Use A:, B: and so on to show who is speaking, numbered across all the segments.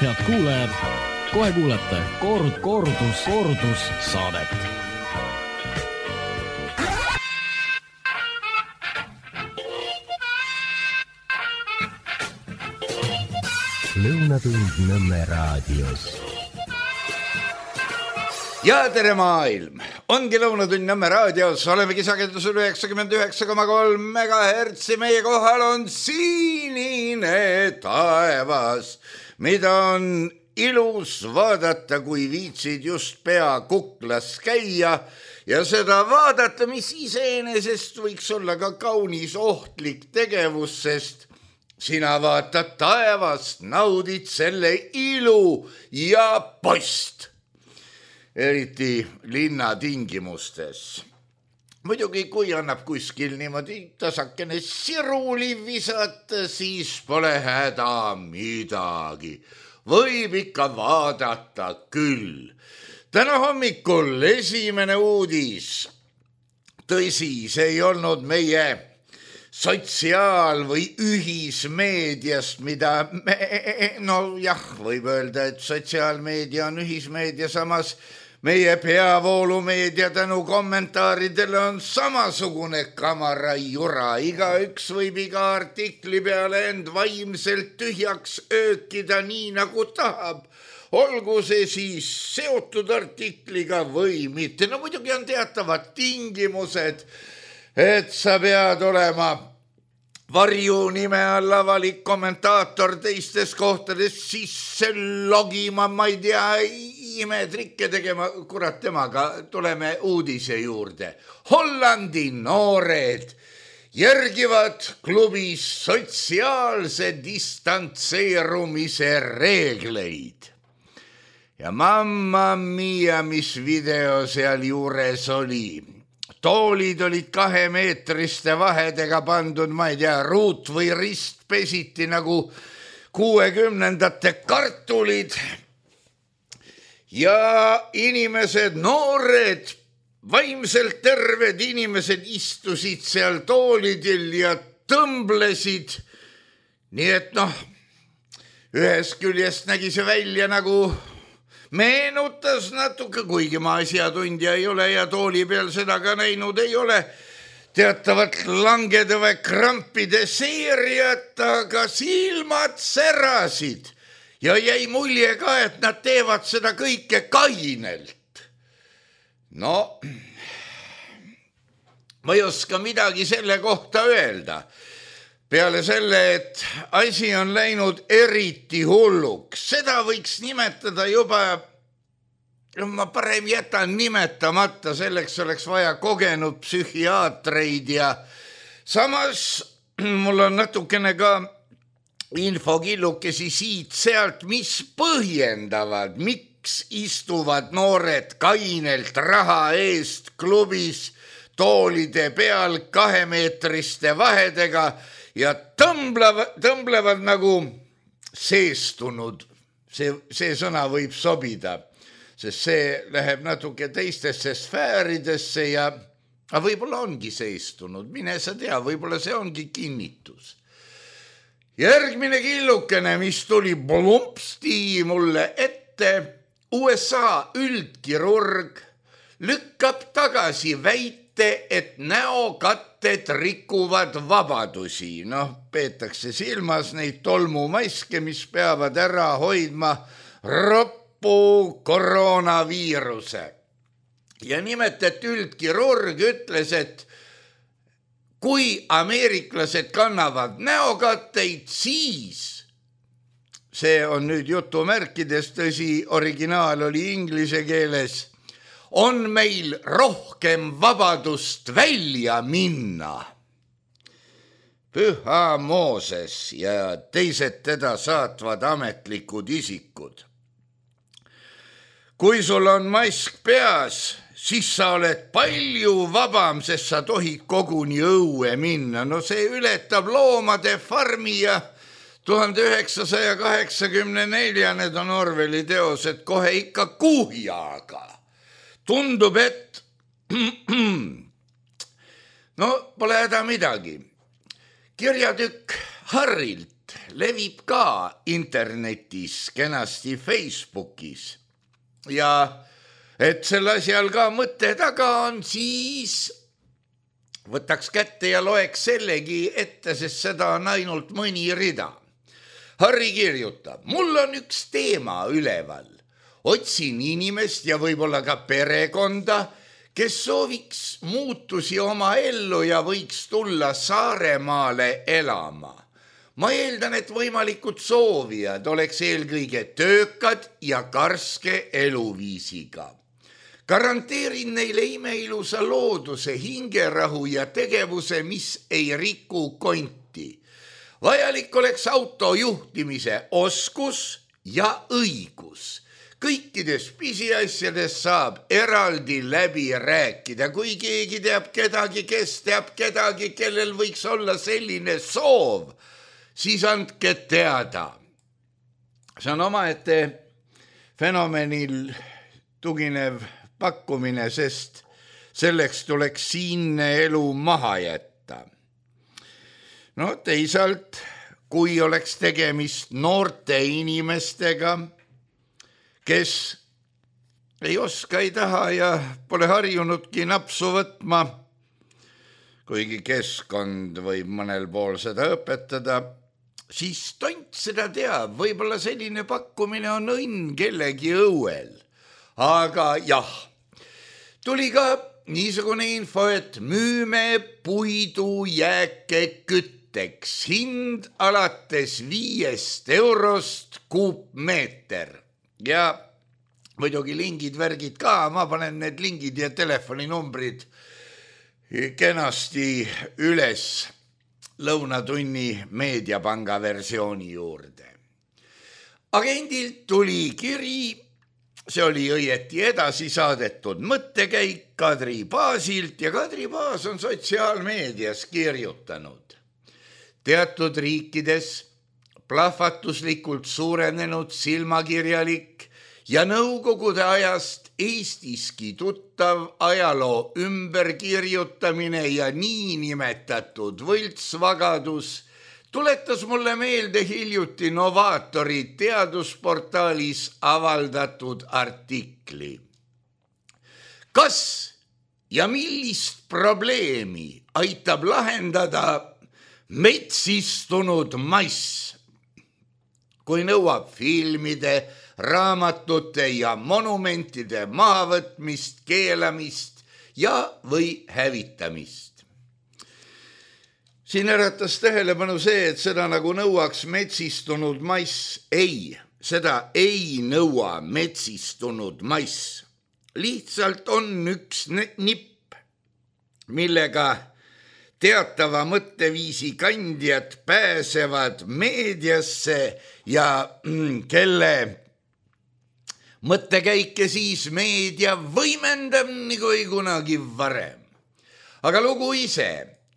A: Head kuulajad, kohe kuulete kordus saadet.
B: Lõunatund Nõmme raadios.
C: Ja tere maailm! Ongi Lõunatund Nõmme raadios, olemegi sagedusel 99,3 MHz. Meie kohal on sinine taevas, mida on ilus vaadata, kui viitsid just pea kuklas käia ja seda vaadata, mis iseenesest võiks olla ka kaunis ohtlik tegevus, sest sina vaatad taevast, naudid selle ilu ja post, eriti linnatingimustes. Muidugi, kui annab kuskil niimoodi tasakene siruli visata, siis pole häda midagi. Võib ikka vaadata küll. Täna hommikul esimene uudis. Tõsi, see ei olnud meie sotsiaal- või ühismeediast, mida võib öelda, et sotsiaalmeedia on ühismeedia, samas meie peavoolumeedia tänu kommentaaridele on samasugune kamarajura. Igaüks võib iga artikli peale end vaimselt tühjaks öökida nii nagu tahab. Olgu see siis seotud artikliga või mitte. No muidugi on teatavad tingimused, et sa pead olema varju nime all avalik kommentaator teistes kohtades sisse logima, ma ei tea, imetrikke tegema, kurat temaga, tuleme uudise juurde. Hollandi noored järgivad klubis sotsiaalse distantseerumise reegleid. Ja mamma mia, mis video seal juures oli. Toolid olid 2-meetriste vahedega pandud, ma ei tea, ruut või rist pesiti nagu 60ndate kartulid. Ja inimesed, noored, vaimselt terved inimesed istusid seal toolidel ja tõmblesid. Nii et ühest küljest nägi see välja nagu meenutas natuke, kuigi ma asjatundja ei ole ja tooli peal seda ka näinud ei ole, teatavat langede või krampide seeriat, aga silmad särasid ja jäi mulje ka, et nad teevad seda kõike kainelt. No, ma ei oska midagi selle kohta öelda. Peale selle, et asi on läinud eriti hulluks. Seda võiks nimetada juba, ma parem jätan nimetamata, selleks oleks vaja kogenud psühhiaatreid ja samas mul on natukene ka infokillukesi siit-sealt, mis põhjendavad, miks istuvad noored kainelt raha eest klubis toolide peal 2-meetriste vahedega ja tõmblevad nagu seestunud. See sõna võib sobida, sest see läheb natuke teistesse sfääridesse ja võib-olla ongi seestunud. Mine sa tea, võib-olla see ongi kinnitus. Järgmine killukene, mis tuli plumpsti mulle ette, USA üldkirurg lükkab tagasi väite, et näokatted rikuvad vabadusi. Peetakse silmas neid tolmumaske, mis peavad ära hoidma roppu koroonaviiruse. Ja nimelt, et üldkirurg ütles, et kui ameeriklased kannavad näokatteid, siis, see on nüüd jutumärkides, tõsi, originaal oli inglise keeles, on meil rohkem vabadust välja minna. Püha Mooses ja teised teda saatvad ametlikud isikud. Kui sul on mask peas, siis sa oled palju vabam, sest sa tohid koguni õue minna. See ületab loomade farmi ja 1984, need on Orwelli teosed, kohe ikka kuhjaga. Tundub, et pole häda midagi. Kirjatükk Harrilt levib ka internetis, kenasti Facebookis ja et selle asjal ka mõte taga on, siis võtaks kätte ja loeks sellegi ette, sest seda on ainult mõni rida. Harri kirjutab, mul on üks teema üleval. Otsin inimest ja võib-olla ka perekonda, kes sooviks muutusi oma ellu ja võiks tulla Saaremaale elama. Ma eeldan, et võimalikud soovijad oleks eelkõige töökad ja karske eluviisiga. Garanteerin neile imeilusa looduse, hingerahu ja tegevuse, mis ei riku konti. Vajalik oleks auto juhtimise oskus ja õigus. Kõikides pisiasjades saab eraldi läbi rääkida, kui keegi teab kedagi, kes teab kedagi, kellel võiks olla selline soov, siis andke teada. See on omaette fenomenil tuginev pakkumine, sest selleks tuleks siinne elu maha jätta. No teisalt, kui oleks tegemist noorte inimestega, kes ei oska, ei taha ja pole harjunudki napsu võtma, kuigi keskkond võib mõnel pool seda õpetada, siis tont seda teab, võib-olla selline pakkumine on õnn kellegi õuel. Aga jah, tuli ka niisugune info, et müüme puidu jääke kütteks, hind alates 5 eurost kuupmeeter. Ja muidugi lingid, värgid ka, ma panen need lingid ja telefoninumbrid kenasti üles Lõunatunni meediapanga versiooni juurde. Agendilt tuli kiri, see oli õieti edasi saadetud mõttekäik Kadri Paasilt ja Kadri Paas on sotsiaalmeedias kirjutanud. Teatud riikides plahvatuslikult suurenenud silmakirjalik ja nõukogude ajast Eestiski tuttav ajaloo ümberkirjutamine ja niinimetatud võltsvagadus tuletas mulle meelde hiljuti Novaatori teadusportaalis avaldatud artikli. Kas ja millist probleemi aitab lahendada metsistunud mass, kui nõuab filmide, raamatute ja monumentide mahavõtmist, keelamist ja või hävitamist? Siin äratas tähelepanu see, et seda nagu nõuaks metsistunud mass. Ei, seda ei nõua metsistunud mass. Lihtsalt on üks nipp, millega teatava mõtteviisi kandjad pääsevad meediasse ja kelle mõttekäike siis meedia võimendab nagu ei kunagi varem. Aga lugu ise,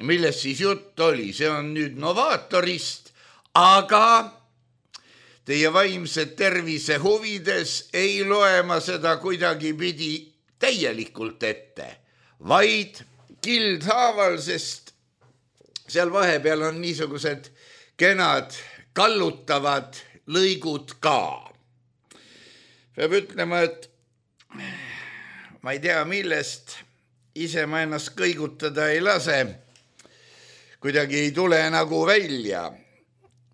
C: millest siis jutt oli, see on nüüd Novaatorist, aga teie vaimse tervise huvides ei loe ma seda kuidagi pidi täielikult ette, vaid kildhaaval, sest seal vahepeal on niisugused kenad kallutavad lõigud ka. Peab ütlema, et ma ei tea millest, ise ma ennast kõigutada ei lase, kuidagi ei tule nagu välja.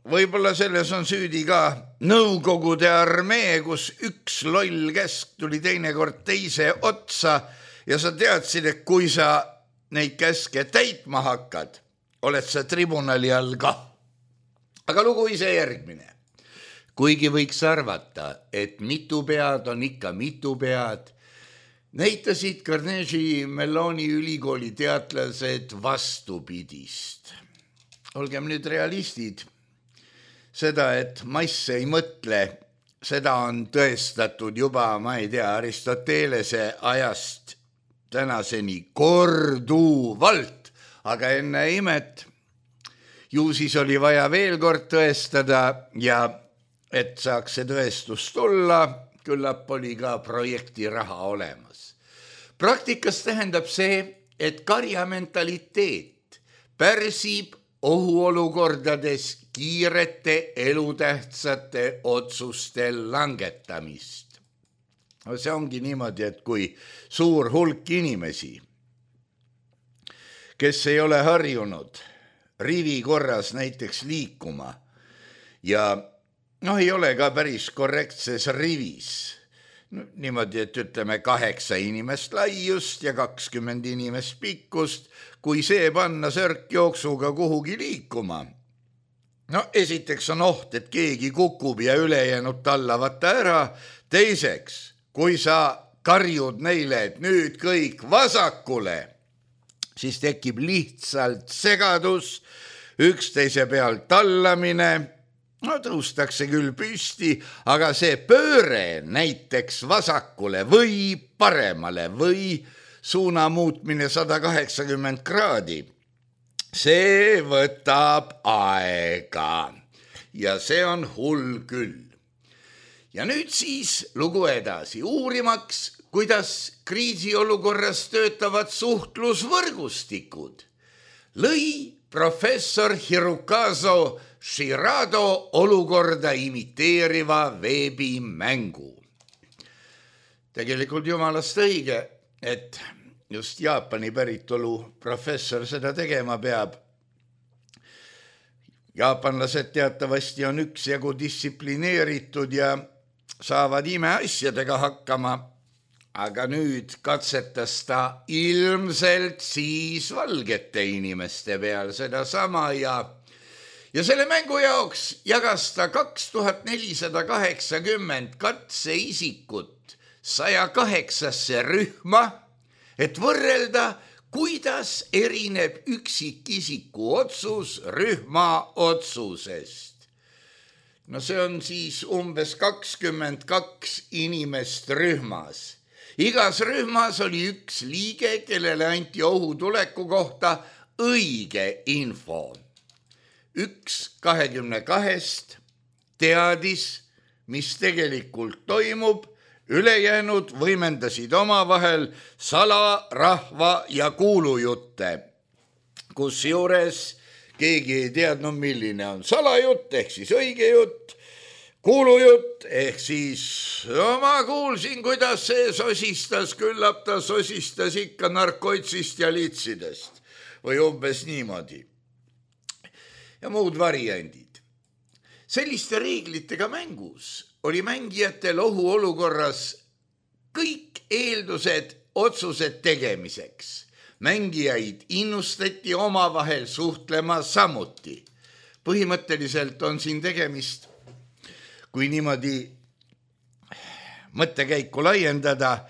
C: Võib-olla selles on süüdi ka Nõukogude armee, kus üks loll käsk tuli teinekord teise otsa ja sa teadsid, et kui sa neid käske täitma hakkad, oled sa tribunali all ka. Aga lugu ise järgmine. Kuigi võiks arvata, et mitu pead on ikka mitu pead, näitasid Carnegie Melloni ülikooli teadlased vastupidist. Olgem nüüd realistid. Seda, et mass ei mõtle, seda on tõestatud juba, ma ei tea, Aristotelese ajast tänaseni korduvalt, aga enne imet ju siis oli vaja veel kord tõestada ja et saaks see tõestus tulla, küllap oli ka projekti raha olemas. Praktikas tähendab see, et karjamentaliteet pärsib ohuolukordades kiirete elutähtsate otsuste langetamist. See ongi niimoodi, et kui suur hulk inimesi, kes ei ole harjunud rivi korras näiteks liikuma ja ei ole ka päris korrektses rivis, niimoodi, et ütleme 8 inimest laiust ja 20 inimest pikkust, kui see panna sörkjooksuga kuhugi liikuma. Esiteks on oht, et keegi kukub ja ülejäänud tallavad ta ära. Teiseks, kui sa karjud neile, et nüüd kõik vasakule, siis tekib lihtsalt segadus, üksteise peal tallamine. Tõustakse küll püsti, aga see pööre näiteks vasakule või paremale või suuna muutmine 180 kraadi, see võtab aega ja see on hull küll. Ja nüüd siis lugu edasi, uurimaks, kuidas kriisiolukorras töötavad suhtlusvõrgustikud, lõi professor Hirokazu Shirado olukorda imiteeriva veebimängu. Tegelikult jumalast õige, et just Jaapani päritolu professor seda tegema peab. Jaapanlased teatavasti on üksjagu distsiplineeritud ja saavad imeasjadega hakkama, aga nüüd katsetas ta ilmselt siis valgete inimeste peal sedasama ja selle mängu jaoks jagas ta 2480 katseisikut 108 rühma, et võrrelda, kuidas erineb üksikisiku otsus rühma otsusest. See on siis umbes 22 inimest rühmas. Igas rühmas oli üks liige, kellele anti ohutuleku kohta õige info. 1 22 teadis, mis tegelikult toimub, ülejäänud võimendasid omavahel salarahva ja kuulujutte, kusjuures keegi ei teadnud, milline on salajutt ehk siis õige jutt, kuulujutt ehk siis ma kuulsin, kuidas see sosistas, küllap ta sosistas ikka narkoitsist ja litsidest või umbes niimoodi. Ja muud variandid. Selliste reeglitega mängus oli mängijatel ohuolukorras kõik eeldused otsused tegemiseks. Mängijaid innustati omavahel suhtlema samuti. Põhimõtteliselt on siin tegemist, kui niimoodi mõttekäiku laiendada,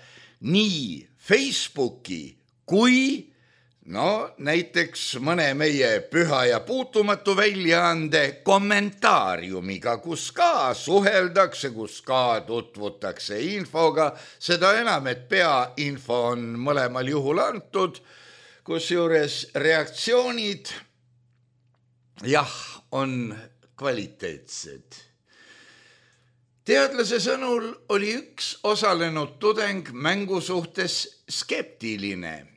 C: nii Facebooki kui näiteks mõne meie püha ja puutumatu väljaande kommentaariumiga, kus ka suheldakse, kus ka tutvutakse infoga, seda enam, et peainfo on mõlemal juhul antud, kusjuures reaktsioonid on kvaliteetsed. Teadlase sõnul oli üks osalenud tudeng mängu suhtes skeptiline.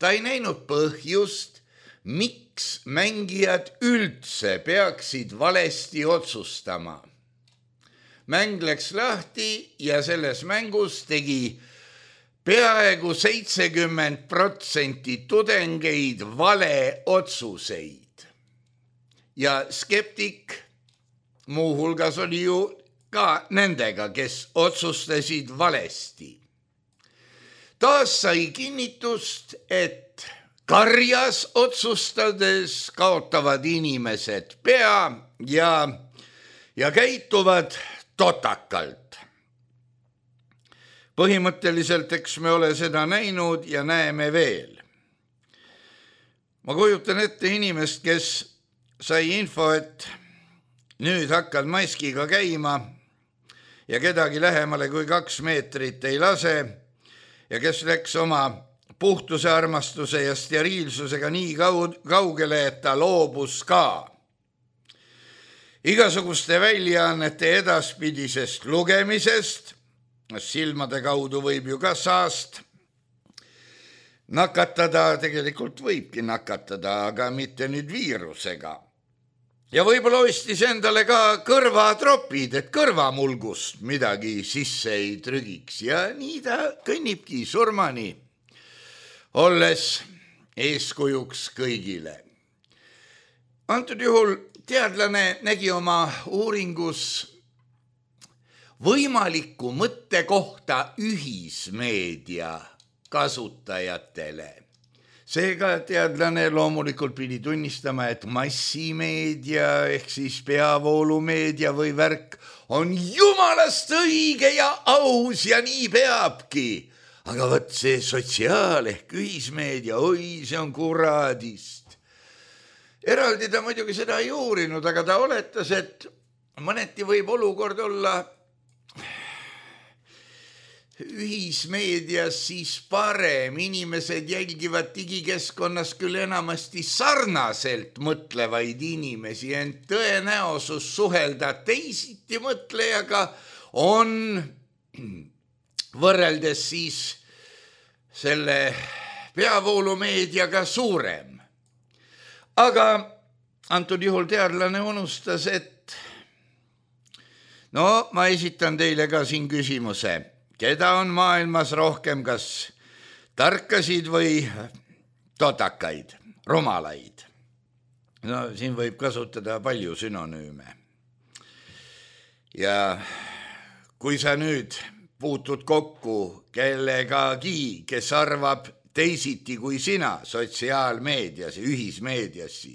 C: Ta ei näinud põhjust, miks mängijad üldse peaksid valesti otsustama. Mäng läks lahti ja selles mängus tegi peaaegu 70% tudengeid vale otsuseid. Ja skeptik muuhulgas oli ju ka nendega, kes otsustasid valesti. Taas sai kinnitust, et karjas otsustades kaotavad inimesed pea ja käituvad totakalt. Põhimõtteliselt, eks me ole seda näinud ja näeme veel. Ma kujutan ette inimest, kes sai info, et nüüd hakkad maskiga käima ja kedagi lähemale kui 2 meetrit ei lase, ja kes läks oma puhtuse armastuse ja steriilsusega nii kaugele, et ta loobus ka igasuguste väljaannete edaspidisest lugemisest, silmade kaudu võib ju ka saast. nakatada tegelikult võibki nakatada, aga mitte nüüd viirusega. Ja võib-olla ostis endale ka kõrvatropid, et kõrvamulgust midagi sisse ei trügiks ja nii ta kõnnibki surmani, olles eeskujuks kõigile. Antud juhul teadlane nägi oma uuringus võimaliku mõtte kohta ühismeedia kasutajatele. Seega teadlane loomulikult pidi tunnistama, et massimeedia ehk siis peavoolumeedia või värk on jumalast õige ja aus ja nii peabki. Aga võt see sotsiaal ehk ühismeedia, oi, see on kuradist. Eraldi ta muidugi seda ei uurinud, aga ta oletas, et mõneti võib olukord olla ühismeedias siis parem. Inimesed jälgivad digikeskkonnas küll enamasti sarnaselt mõtlevaid inimesi, ent tõenäosus suhelda teisiti mõtlejaga on võrreldes siis selle peavoolumeediaga suurem. Aga antud juhul teadlane unustas, et ma esitan teile ka siin küsimuse. Keda on maailmas rohkem, kas tarkasid või totakaid, rumalaid? Siin võib kasutada palju sünonüüme. Ja kui sa nüüd puutud kokku kellegagi, kes arvab teisiti kui sina sotsiaalmeedias, ühismeedias,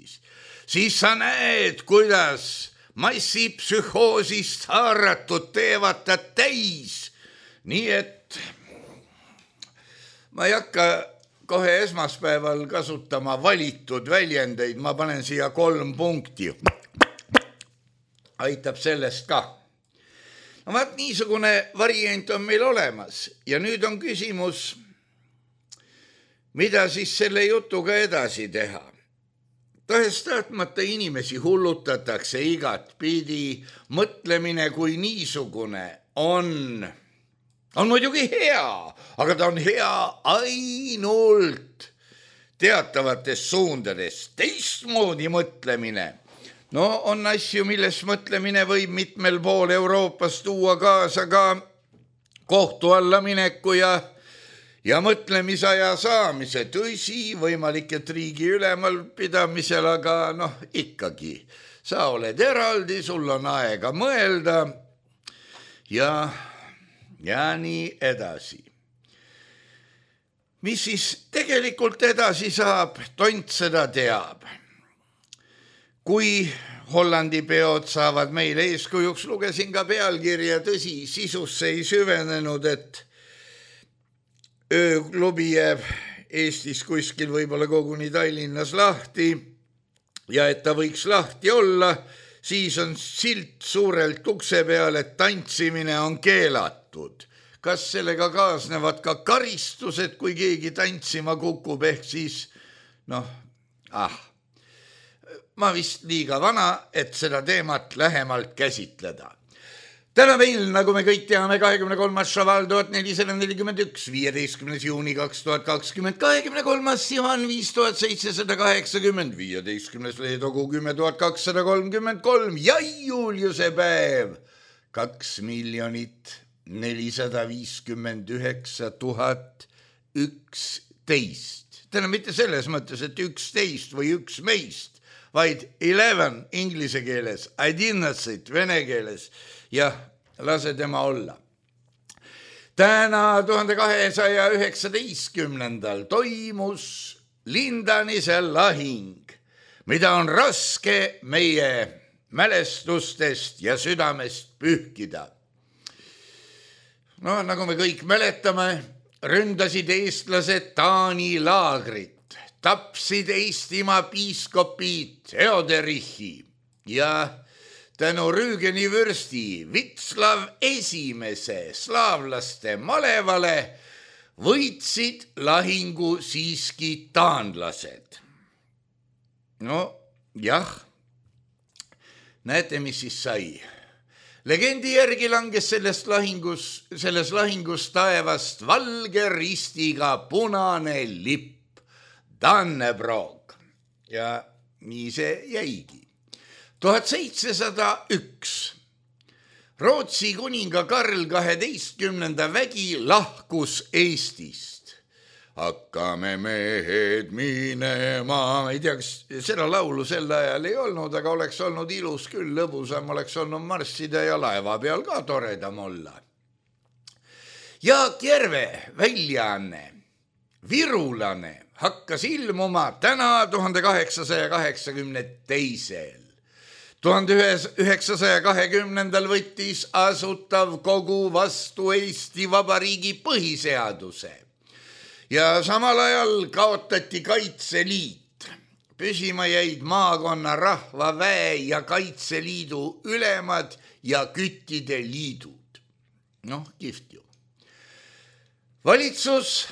C: siis sa näed, kuidas massipsühhoosist haaratud teevad ta täis. Nii et ma ei hakka kohe esmaspäeval kasutama valitud väljendeid, ma panen siia 3 punkti. Aitab sellest ka. Vaat niisugune variant on meil olemas ja nüüd on küsimus, mida siis selle jutuga edasi teha. Tahes-tahtmata inimesi hullutatakse igat pidi, mõtlemine kui niisugune on muidugi hea, aga ta on hea ainult teatavates suundades. Teistmoodi mõtlemine. On asju, milles mõtlemine võib mitmel pool Euroopas tuua kaasa ka kohtu alla mineku ja mõtlemisaja saamise. Tõsi, võimalik, et riigi ülemal pidamisel, aga ikkagi. Sa oled eraldi, sul on aega mõelda ja nii edasi. Mis siis tegelikult edasi saab, tont seda teab. Kui Hollandi peod saavad meile eeskujuks, lugesin ka pealkirja, tõsi, sisusse ei süvenenud, et ööklubi jääb Eestis kuskil võib-olla koguni Tallinnas lahti ja et ta võiks lahti olla, siis on silt suurelt ukse peal, et tantsimine on keelatud. Kas sellega kaasnevad ka karistused, kui keegi tantsima kukub, ehk siis, ma vist liiga vana, et seda teemat lähemalt käsitleda. Täna meil, nagu me kõik teame, 23. šaval 1441, 15. juuni 2020, 23. Sivan 5780, 15. leedogu 10.233 ja Juliuse päev 2 459 011. Täna mitte selles mõttes, et 11 või üks meist, vaid 11 inglise keeles, 11 vene keeles ja lase tema olla. Täna 1219. toimus Lindanise lahing, mida on raske meie mälestustest ja südamest pühkida. Nagu me kõik mäletame, ründasid eestlased Taani laagrit, tapsid Eestimaa piiskopid Theoderichi ja tänu Rüügeni vürsti Vitslav esimese slaavlaste malevale võitsid lahingu siiski taanlased. Jah, näete, mis siis sai. Legendi järgi langes selles lahingus taevast valge ristiga punane lipp, Dannebrog. Ja nii see jäigi. 1701. Rootsi kuninga Karl 12. vägi lahkus Eestist. Hakkame mehed minema, ma ei tea, kas seda laulu sel ajal ei olnud, aga oleks olnud ilus küll, lõbusam oleks olnud marssida ja laeva peal ka toredam olla. Jaak Järve väljaanne Virulane hakkas ilmuma täna 1882. 1920. võttis Asutav Kogu vastu Eesti Vabariigi põhiseaduse. Ja samal ajal kaotati Kaitseliit. Püsima jäid maakonna rahvaväe ja Kaitseliidu ülemad ja küttide liidud. Kihvt ju. Valitsus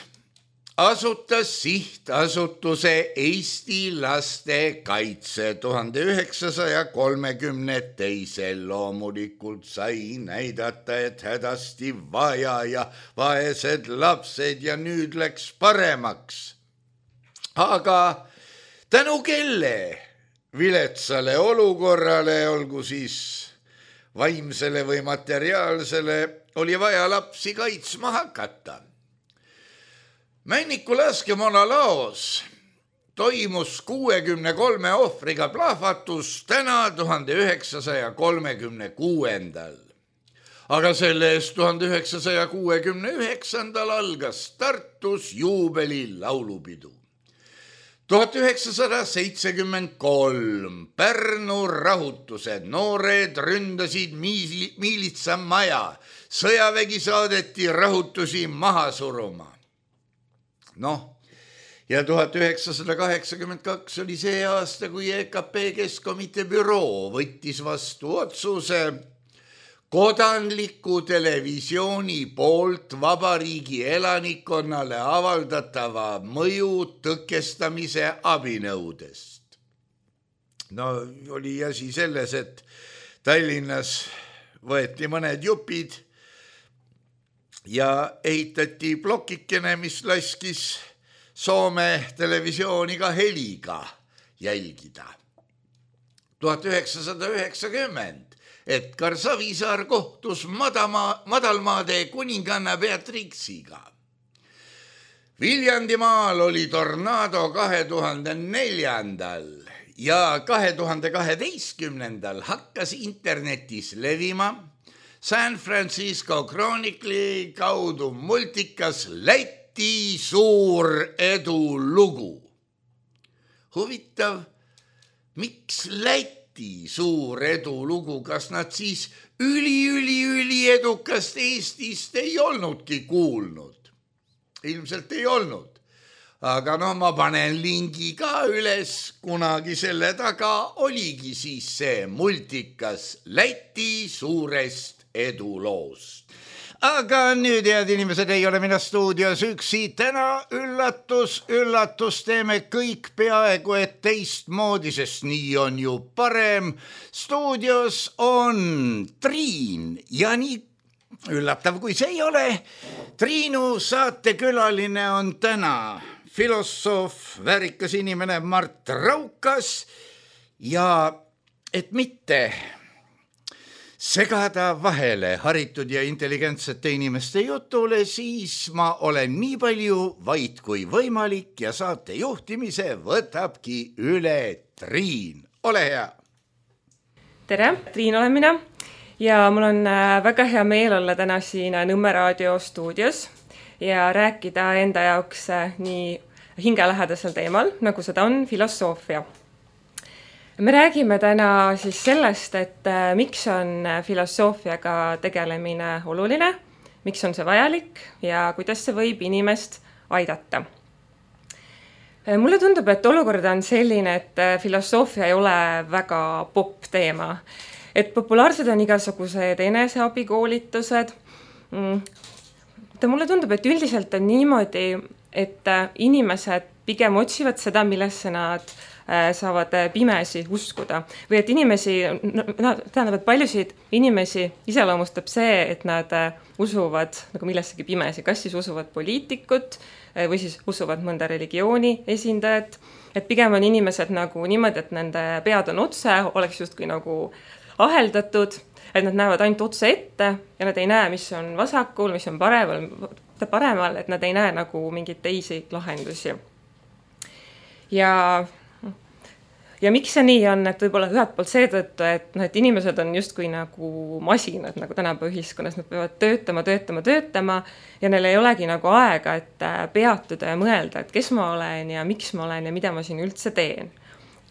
C: asutas sihtasutuse Eesti laste kaitse 1932. Loomulikult sai näidata, et hädasti vaja ja vaesed lapsed ja nüüd läks paremaks. Aga tänu kelle viletsale olukorrale, olgu siis vaimsele või materiaalsele, oli vaja lapsi kaitsma hakata. Männiku laskemoona laos toimus 63 ohvriga plahvatus täna 1936. Aga selle eest 1969. algas Tartus juubeli laulupidu. 1973 Pärnu rahutused, noored ründasid miilitsamaja, sõjavägi saadeti rahutusi maha suruma. Ja 1982 oli see aasta, kui EKP Keskkomitee büroo võttis vastu otsuse kodanliku televisiooni poolt vabariigi elanikkonnale avaldatava mõju tõkestamise abinõudest. Oli asi selles, et Tallinnas võeti mõned jupid ja ehitati plokikene, mis laskis Soome televisiooni ka heliga jälgida. 1990 Edgar Savisaar kohtus Madalmaade kuninganna Beatrixiga. Viljandimaal oli tornaado 2004. ja 2012. hakkas internetis levima San Francisco Chronicle'i kaudu multikas Läti suur edulugu. Huvitav, miks Läti suur edulugu, kas nad siis üli edukast Eestist ei olnudki kuulnud? Ilmselt ei olnud. Aga ma panen lingi ka üles, kunagi selle taga oligi siis see multikas Läti suurest eduloost. Aga nüüd, head inimesed, ei ole mina stuudios üksi. Täna üllatus, teeme kõik peaaegu et teistmoodi, sest nii on ju parem. Stuudios on Triin ja nii üllatav, kui see ei ole. Triinu saatekülaline on täna filosoof, väärikas inimene Mart Raukas ja et mitte segada vahele haritud ja intelligentsete inimeste jutule, siis ma olen nii palju vait kui võimalik ja saate juhtimise võtabki üle Triin. Ole hea!
D: Tere, Triin olen mina ja mul on väga hea meel olla täna siin Nõmme raadio stuudios ja rääkida enda jaoks nii hingelähedasel teemal, nagu seda on filosoofia. Me räägime täna siis sellest, et miks on filosoofiaga tegelemine oluline, miks on see vajalik ja kuidas see võib inimest aidata. Mulle tundub, et olukord on selline, et filosoofia ei ole väga popp teema. Et populaarsed on igasugused eneseabikoolitused. Mulle tundub, et üldiselt on niimoodi, et inimesed pigem otsivad seda, millesse nad saavad pimesi uskuda. Või et inimesi, tähendab, et paljusid inimesi iseloomustab see, et nad usuvad nagu millessegi pimesi, kas siis usuvad poliitikut või siis usuvad mõnda religiooni esindajat, et pigem on inimesed nagu niimoodi, et nende pead on otse, oleks justkui nagu aheldatud, et nad näevad ainult otse ette ja nad ei näe, mis on vasakul, mis on paremal, et nad ei näe nagu mingeid teisi lahendusi. Ja miks see nii on, et võib-olla ühelt poolt seetõttu, et inimesed on justkui nagu masinad nagu tänapäeva ühiskonnas, nad peavad töötama ja neil ei olegi nagu aega, et peatuda ja mõelda, et kes ma olen ja miks ma olen ja mida ma siin üldse teen.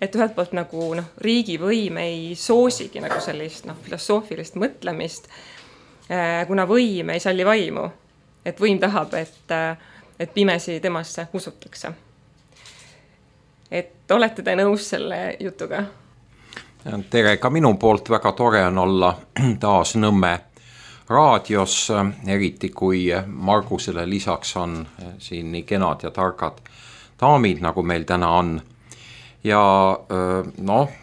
D: Et ühelt poolt nagu riigivõim ei soosigi nagu sellist filosoofilist mõtlemist, kuna võim ei salli vaimu, et võim tahab, et pimesi temasse usutakse. Et olete te nõus selle jutuga?
E: Tere, ka minu poolt väga tore on olla taas Nõmme raadios, eriti kui Margusele lisaks on siin nii kenad ja targad daamid, nagu meil täna on. Ja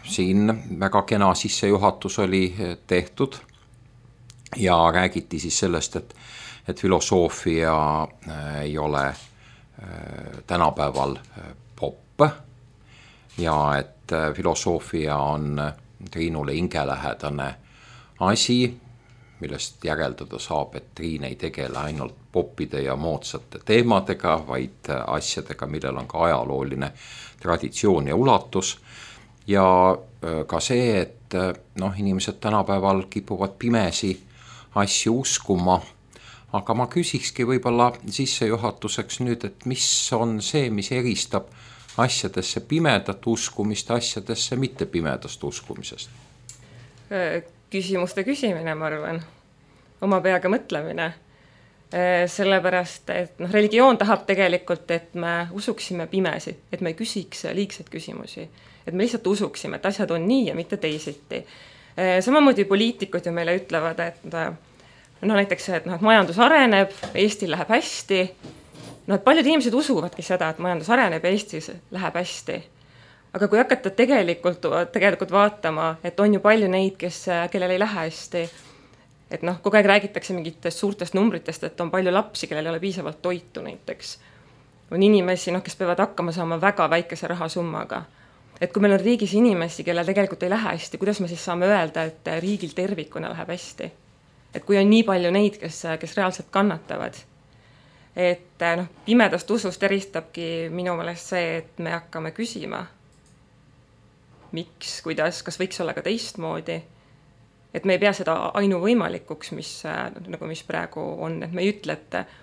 E: siin väga kena sissejuhatus oli tehtud ja räägiti siis sellest, et filosoofia ei ole tänapäeval popp ja et filosoofia on Triinule hingelähedane asi, millest järeldada saab, et Triin ei tegele ainult poppide ja moodsate teemadega, vaid asjadega, millel on ka ajalooline traditsioon ja ulatus. Ja ka see, et inimesed tänapäeval kipuvad pimesi asju uskuma, aga ma küsikski võib-olla sissejuhatuseks nüüd, et mis on see, mis eristab asjadesse pimedat uskumist asjadesse mitte pimedast uskumisest?
D: Küsimuste küsimine, ma arvan, oma peaga mõtlemine. Sellepärast, et religioon tahab tegelikult, et me usuksime pimesi, et me ei küsiks liigseid küsimusi, et me lihtsalt usuksime, et asjad on nii ja mitte teisiti. Samamoodi poliitikud ju meile ütlevad, et näiteks, et majandus areneb, Eestil läheb hästi. Et paljud inimesed usuvadki seda, et majandus areneb ja Eestis läheb hästi. Aga kui hakata tegelikult vaatama, et on ju palju neid, kellel ei lähe hästi, et kogu aeg räägitakse mingitest suurtest numbritest, et on palju lapsi, kellel ei ole piisavalt toitu näiteks. On inimesi, kes peavad hakkama saama väga väikese rahasummaga. Et kui meil on riigis inimesi, kellel tegelikult ei lähe hästi, kuidas me siis saame öelda, et riigil tervikuna läheb hästi? Et kui on nii palju neid, kes reaalselt kannatavad. Et pimedast usust eristabki minu meelest see, et me hakkame küsima, miks, kuidas, kas võiks olla ka teistmoodi. Et me ei pea seda ainuvõimalikuks, mis praegu on, et me ei ütle,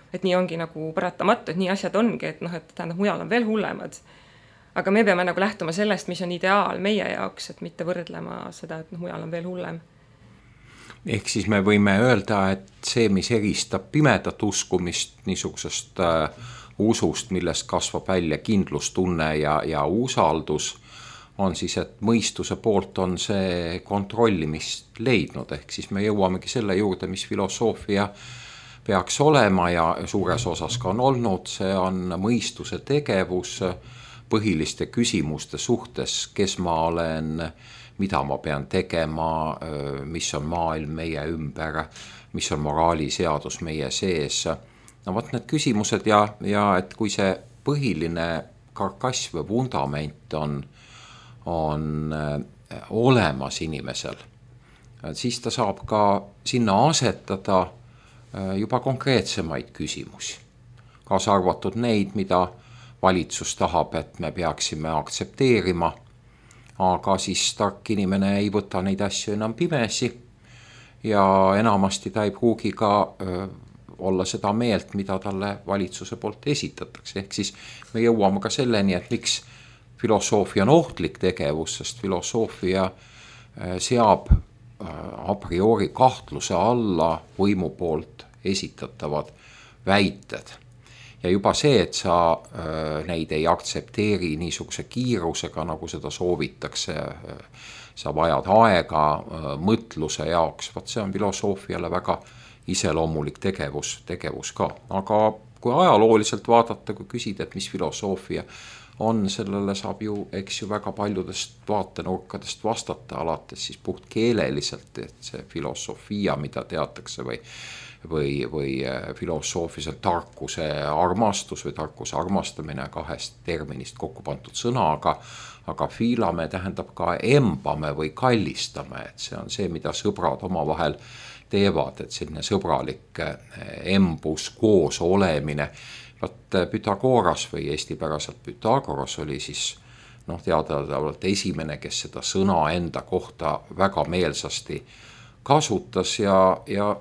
D: et nii ongi nagu paratamatu, et nii asjad ongi, et tähendab, mujal on veel hullemad. Aga me peame nagu lähtuma sellest, mis on ideaal meie jaoks, et mitte võrdlema seda, et mujal on veel hullem.
E: Ehk siis me võime öelda, et see, mis eristab pimedat uskumist niisugusest usust, millest kasvab välja kindlustunne ja usaldus, on siis, et mõistuse poolt on see kontrollimist leidnud. Ehk siis me jõuamegi selle juurde, mis filosoofia peaks olema ja suures osas ka on olnud. See on mõistuse tegevus põhiliste küsimuste suhtes, kes ma olen, mida ma pean tegema, mis on maailm meie ümber, mis on moraaliseadus meie sees. Võt need küsimused ja et kui see põhiline karkass või vundament on olemas inimesel, siis ta saab ka sinna asetada juba konkreetsemaid küsimusi. Kaasa arvatud neid, mida valitsus tahab, et me peaksime aktsepteerima, aga siis tark inimene ei võta neid asju enam pimesi ja enamasti ta ei pruugi ka olla seda meelt, mida talle valitsuse poolt esitatakse. Ehk siis me jõuame ka selleni, et miks filosoofia on ohtlik tegevus, sest filosoofia seab a priori kahtluse alla võimu poolt esitatavad väited. Ja juba see, et sa neid ei aktsepteeri niisuguse kiirusega, nagu seda soovitakse, sa vajad aega mõtluse jaoks, see on filosoofiale väga iseloomulik tegevus ka. Aga kui ajalooliselt vaadata, kui küsida, et mis filosoofia on, sellele saab ju, eks ju, väga paljudest vaatenurkadest vastata, alates siis puht keeleliselt, et see filosofia, mida teatakse või filosoofilisel tarkuse armastus või tarkuse armastamine kahest terminist kokku pandud sõna, aga filame tähendab ka embame või kallistame, et see on see, mida sõbrad omavahel teevad, et selline sõbralik embus, koos olemine. Vaat Pythagoras või eestipäraselt Pythagoras oli siis teadavalt esimene, kes seda sõna enda kohta väga meelsasti kasutas ja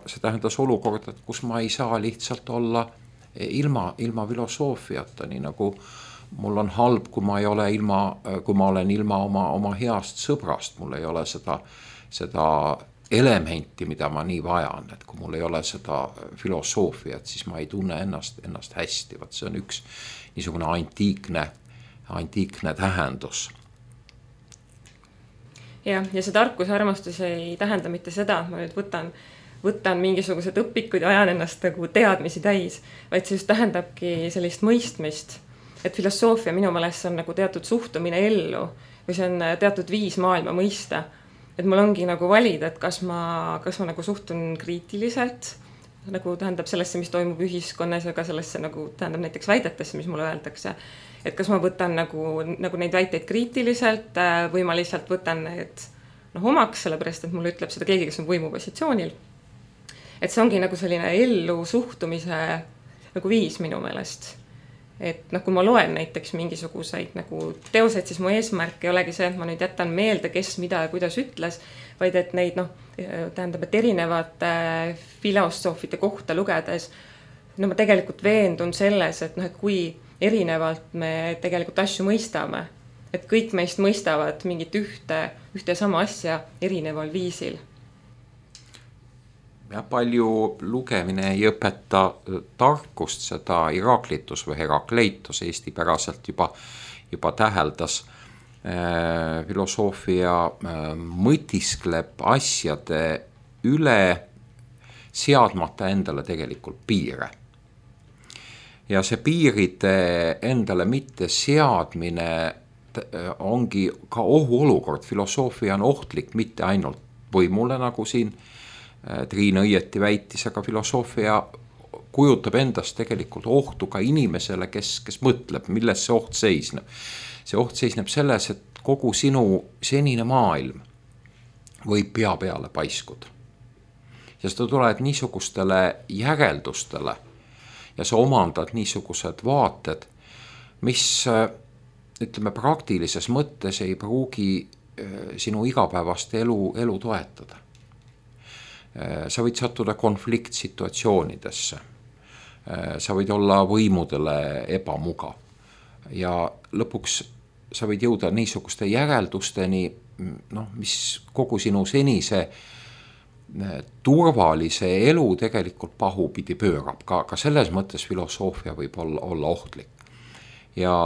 E: see tähendas olukorda, et kus ma ei saa lihtsalt olla ilma filosoofiata, nii nagu mul on halb, kui ma olen ilma oma heast sõbrast, mul ei ole seda elementi, mida ma nii vajan, et kui mul ei ole seda filosoofiat, siis ma ei tunne ennast hästi. Vaat see on üks niisugune antiikne tähendus.
D: Ja see tarkuse armastus ei tähenda mitte seda, ma nüüd võtan mingisugused õpikud ja ajan ennast nagu teadmisi täis, vaid see just tähendabki sellist mõistmist, et filosoofia minu meelest on nagu teatud suhtumine ellu või see on teatud viis maailma mõista. Et mul ongi nagu valida, et kas ma nagu suhtun kriitiliselt, nagu tähendab sellesse, mis toimub ühiskonnas ja ka sellesse nagu tähendab näiteks väidetesse, mis mulle öeldakse. Et kas ma võtan nagu neid väiteid kriitiliselt või ma lihtsalt võtan need omaks, sellepärast, et mulle ütleb seda keegi, kes on võimupositsioonil. Et see ongi nagu selline ellu suhtumise nagu viis minu meelest. Et kui ma loen näiteks mingisuguseid nagu teoseid, siis mu eesmärk ei olegi see, et ma nüüd jätan meelde, kes mida ja kuidas ütles, vaid et neid tähendab, et erinevate filosoofide kohta lugedes ma tegelikult veendun selles, et kui erinevalt me tegelikult asju mõistame, et kõik meist mõistavad mingit ühte sama asja erineval viisil.
E: Ja palju lugemine ei õpeta tarkust, seda Heraklitus või Herakleitos eestipäraselt juba täheldas. Filosoofia mõtiskleb asjade üle, seadmata endale tegelikult piire. Ja see piiride endale mitte seadmine ongi ka ohuolukord. Filosoofia on ohtlik mitte ainult võimule, nagu siin Triin õieti väitis, aga filosoofia kujutab endast tegelikult ohtu ka inimesele, kes mõtleb, milles see oht seisneb. See oht seisneb selles, et kogu sinu senine maailm võib pea peale paiskuda. Ja sa tuled niisugustele järeldustele ja sa omandad niisugused vaated, mis ütleme praktilises mõttes ei pruugi sinu igapäevast elu toetada. Sa võid sattuda konfliktsituatsioonidesse, sa võid olla võimudele ebamugav ja lõpuks sa võid jõuda niisuguste järeldusteni, mis kogu sinu senise turvalise elu tegelikult pahupidi pöörab. Ka selles mõttes filosoofia võib olla ohtlik. Ja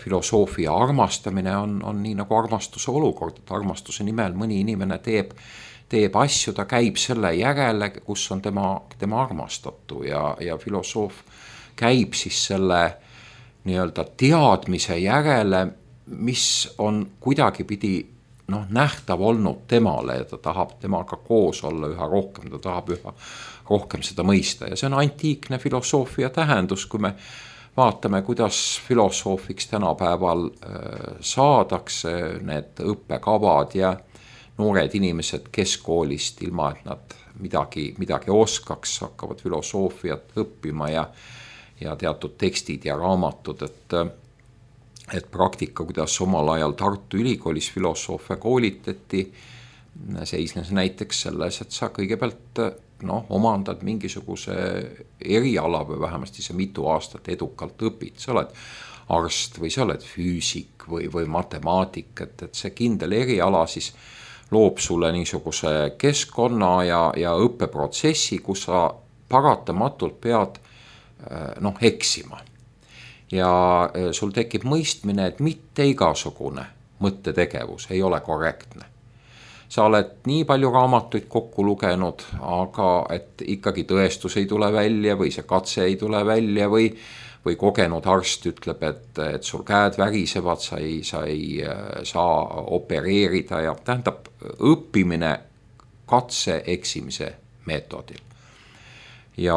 E: filosoofia armastamine on nii nagu armastuse olukord, et armastuse nimel mõni inimene teeb asju, ta käib selle järele, kus on tema armastatu ja filosoof käib siis selle nii-öelda teadmise järele, mis on kuidagipidi nähtav olnud temale ja ta tahab temaga koos olla üha rohkem, ta tahab üha rohkem seda mõista ja see on antiikne filosoofia tähendus, kui me vaatame, kuidas filosoofiks tänapäeval saadakse, need õppekavad ja noored inimesed keskkoolist, ilma et nad midagi oskaks, hakkavad filosoofiat õppima ja teatud tekstid ja raamatud, et praktika, kuidas omal ajal Tartu Ülikoolis filosoofia koolitati, seisnes näiteks selles, et sa kõigepealt omandad mingisuguse eriala või vähemasti see mitu aastat edukalt õpid, sa oled arst või sa oled füüsik või matemaatik, et see kindel eriala siis loob sulle niisuguse keskkonna ja õppeprotsessi, kus sa paratamatult pead eksima. Ja sul tekib mõistmine, et mitte igasugune mõttetegevus ei ole korrektne. Sa oled nii palju raamatuid kokku lugenud, aga et ikkagi tõestus ei tule välja või see katse ei tule välja või või kogenud arst ütleb, et sul käed värisevad, sa ei saa opereerida ja tähendab õppimine katse eksimise meetodil. Ja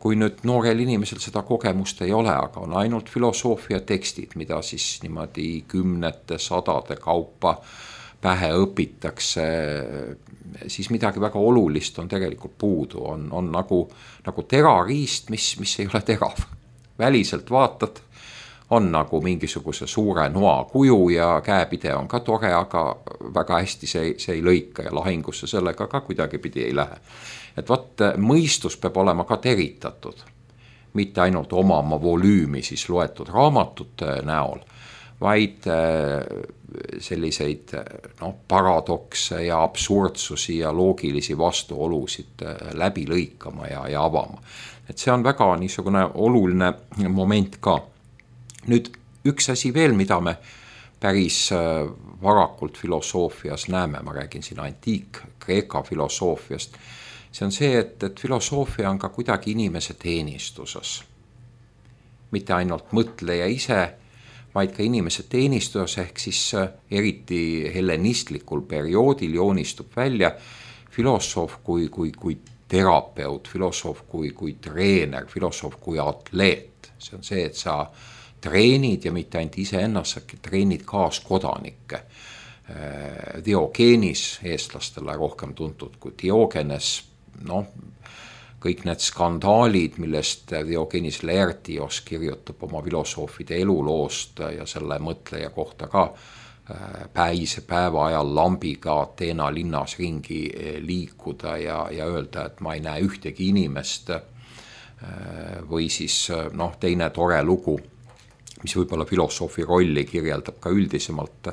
E: kui nüüd noorel inimesel seda kogemust ei ole, aga on ainult filosoofia tekstid, mida siis niimoodi kümnete, sadade kaupa pähe õpitakse, siis midagi väga olulist on tegelikult puudu, on nagu terariist, mis ei ole terav. Väliselt vaatad, on nagu mingisuguse suure noa kuju ja käepide on ka tore, aga väga hästi see ei lõika ja lahingusse sellega ka kuidagipidi ei lähe. Et vaat mõistus peab olema ka teritatud, mitte ainult omama volüümi siis loetud raamatute näol, vaid selliseid paradokse ja absurdsusi ja loogilisi vastuolusid läbi lõikama ja avama. Et see on väga niisugune oluline moment ka. Nüüd üks asi veel, mida me päris varakult filosoofias näeme, ma räägin siin antiik-Kreeka filosoofiast, see on see, et filosoofia on ka kuidagi inimese teenistuses. Mitte ainult mõtleja ise, vaid ka inimese teenistus, ehk siis eriti hellenistlikul perioodil joonistub välja filosoof kui terapeut, filosoof kui treener, filosoof kui atleet. See on see, et sa treenid ja mitte ainult ise ennast, sa treenid kaaskodanikke. Diogenes, eestlastele rohkem tuntud kui Diogenes, kõik need skandaalid, millest Diogenes Laertios kirjutab oma filosoofide eluloost ja selle mõtleja kohta ka päise päeva ajal lambiga Ateena linnas ringi liikuda ja öelda, et ma ei näe ühtegi inimest, või siis teine tore lugu, mis võib-olla filosoofi rolli kirjeldab ka üldisemalt.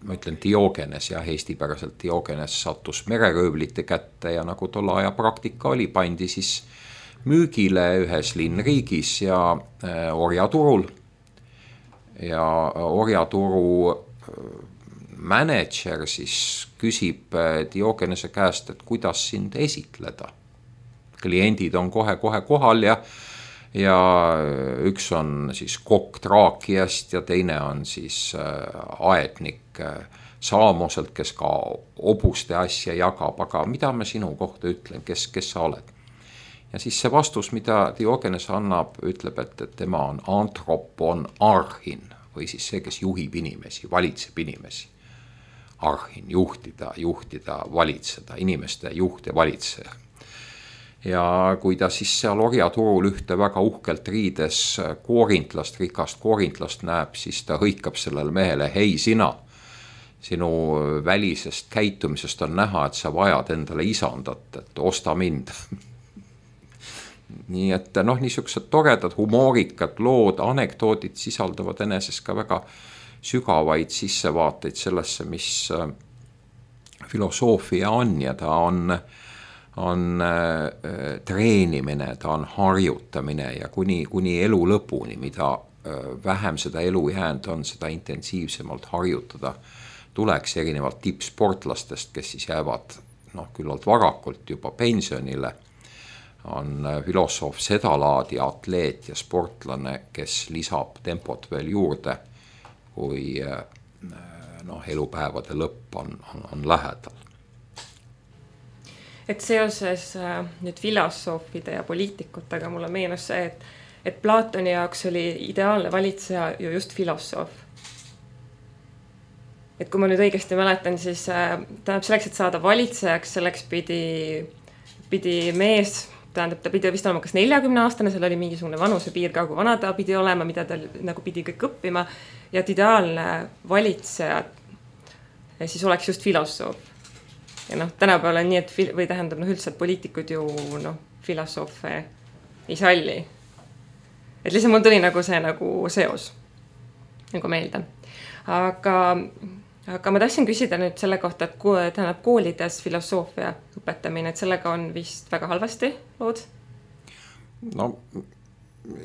E: Ma ütlen Diogenes, eestipäraselt Diogenes sattus mereröövlite kätte ja nagu tolle aja praktika oli, pandi siis müügile ühes linnriigis ja orjaturul. Ja orjaturu mänedžer siis küsib Diogenese käest, et kuidas sind esitleda. Kliendid on kohe kohal ja üks on siis kokk Traakiast ja teine on siis aednik Saamoselt, kes ka obuste asja jagab, aga mida ma sinu kohta ütlen, kes sa oled? Ja siis see vastus, mida Diogenes annab, ütleb, et tema on antropon arhin, või siis see, kes juhib inimesi, valitseb inimesi. Arhin, juhtida, valitseda, inimeste juht ja valitseja. Ja kui ta siis seal orjaturul ühte väga uhkelt riides koorintlast, rikast koorintlast näeb, siis ta hõikab sellele mehele, hei sina, sinu välisest käitumisest on näha, et sa vajad endale isandat, et osta mind. Nii et niisugused toredad, humoorikad lood, anekdoodid sisaldavad eneses ka väga sügavaid sissevaateid sellesse, mis filosoofia on ja ta on treenimine, ta on harjutamine ja kuni elu lõpuni, mida vähem seda elu jäänud on, seda intensiivsemalt harjutada tuleks erinevalt tippsportlastest, kes siis jäävad küllalt varakult juba pensionile, on filosoof seda laadi atleet ja sportlane, kes lisab tempot veel juurde, kui elupäevade lõpp on lähedal.
D: Et seoses nüüd filosoofide ja poliitikutega mulle meenus see, et Platoni jaoks oli ideaalne valitseja ju just filosoof. Et kui ma nüüd õigesti mäletan, siis tähendab selleks, et saada valitsejaks, selleks pidi mees, tähendab ta pidi vist olema kas 40-aastane, seal oli mingisugune vanusepiir ka, kui vana ta pidi olema, mida ta nagu pidi kõik õppima ja et ideaalne valitseja siis oleks just filosoof. Ja tänapäeval on nii, et või tähendab üldse, et poliitikud ju filosoofe ei salli. Et lihtsalt mul tuli nagu see seos nagu meelde. Aga ma tahtsin küsida nüüd selle kohta, et tähendab koolides filosoofia õpetamine, et sellega on vist väga halvasti lood?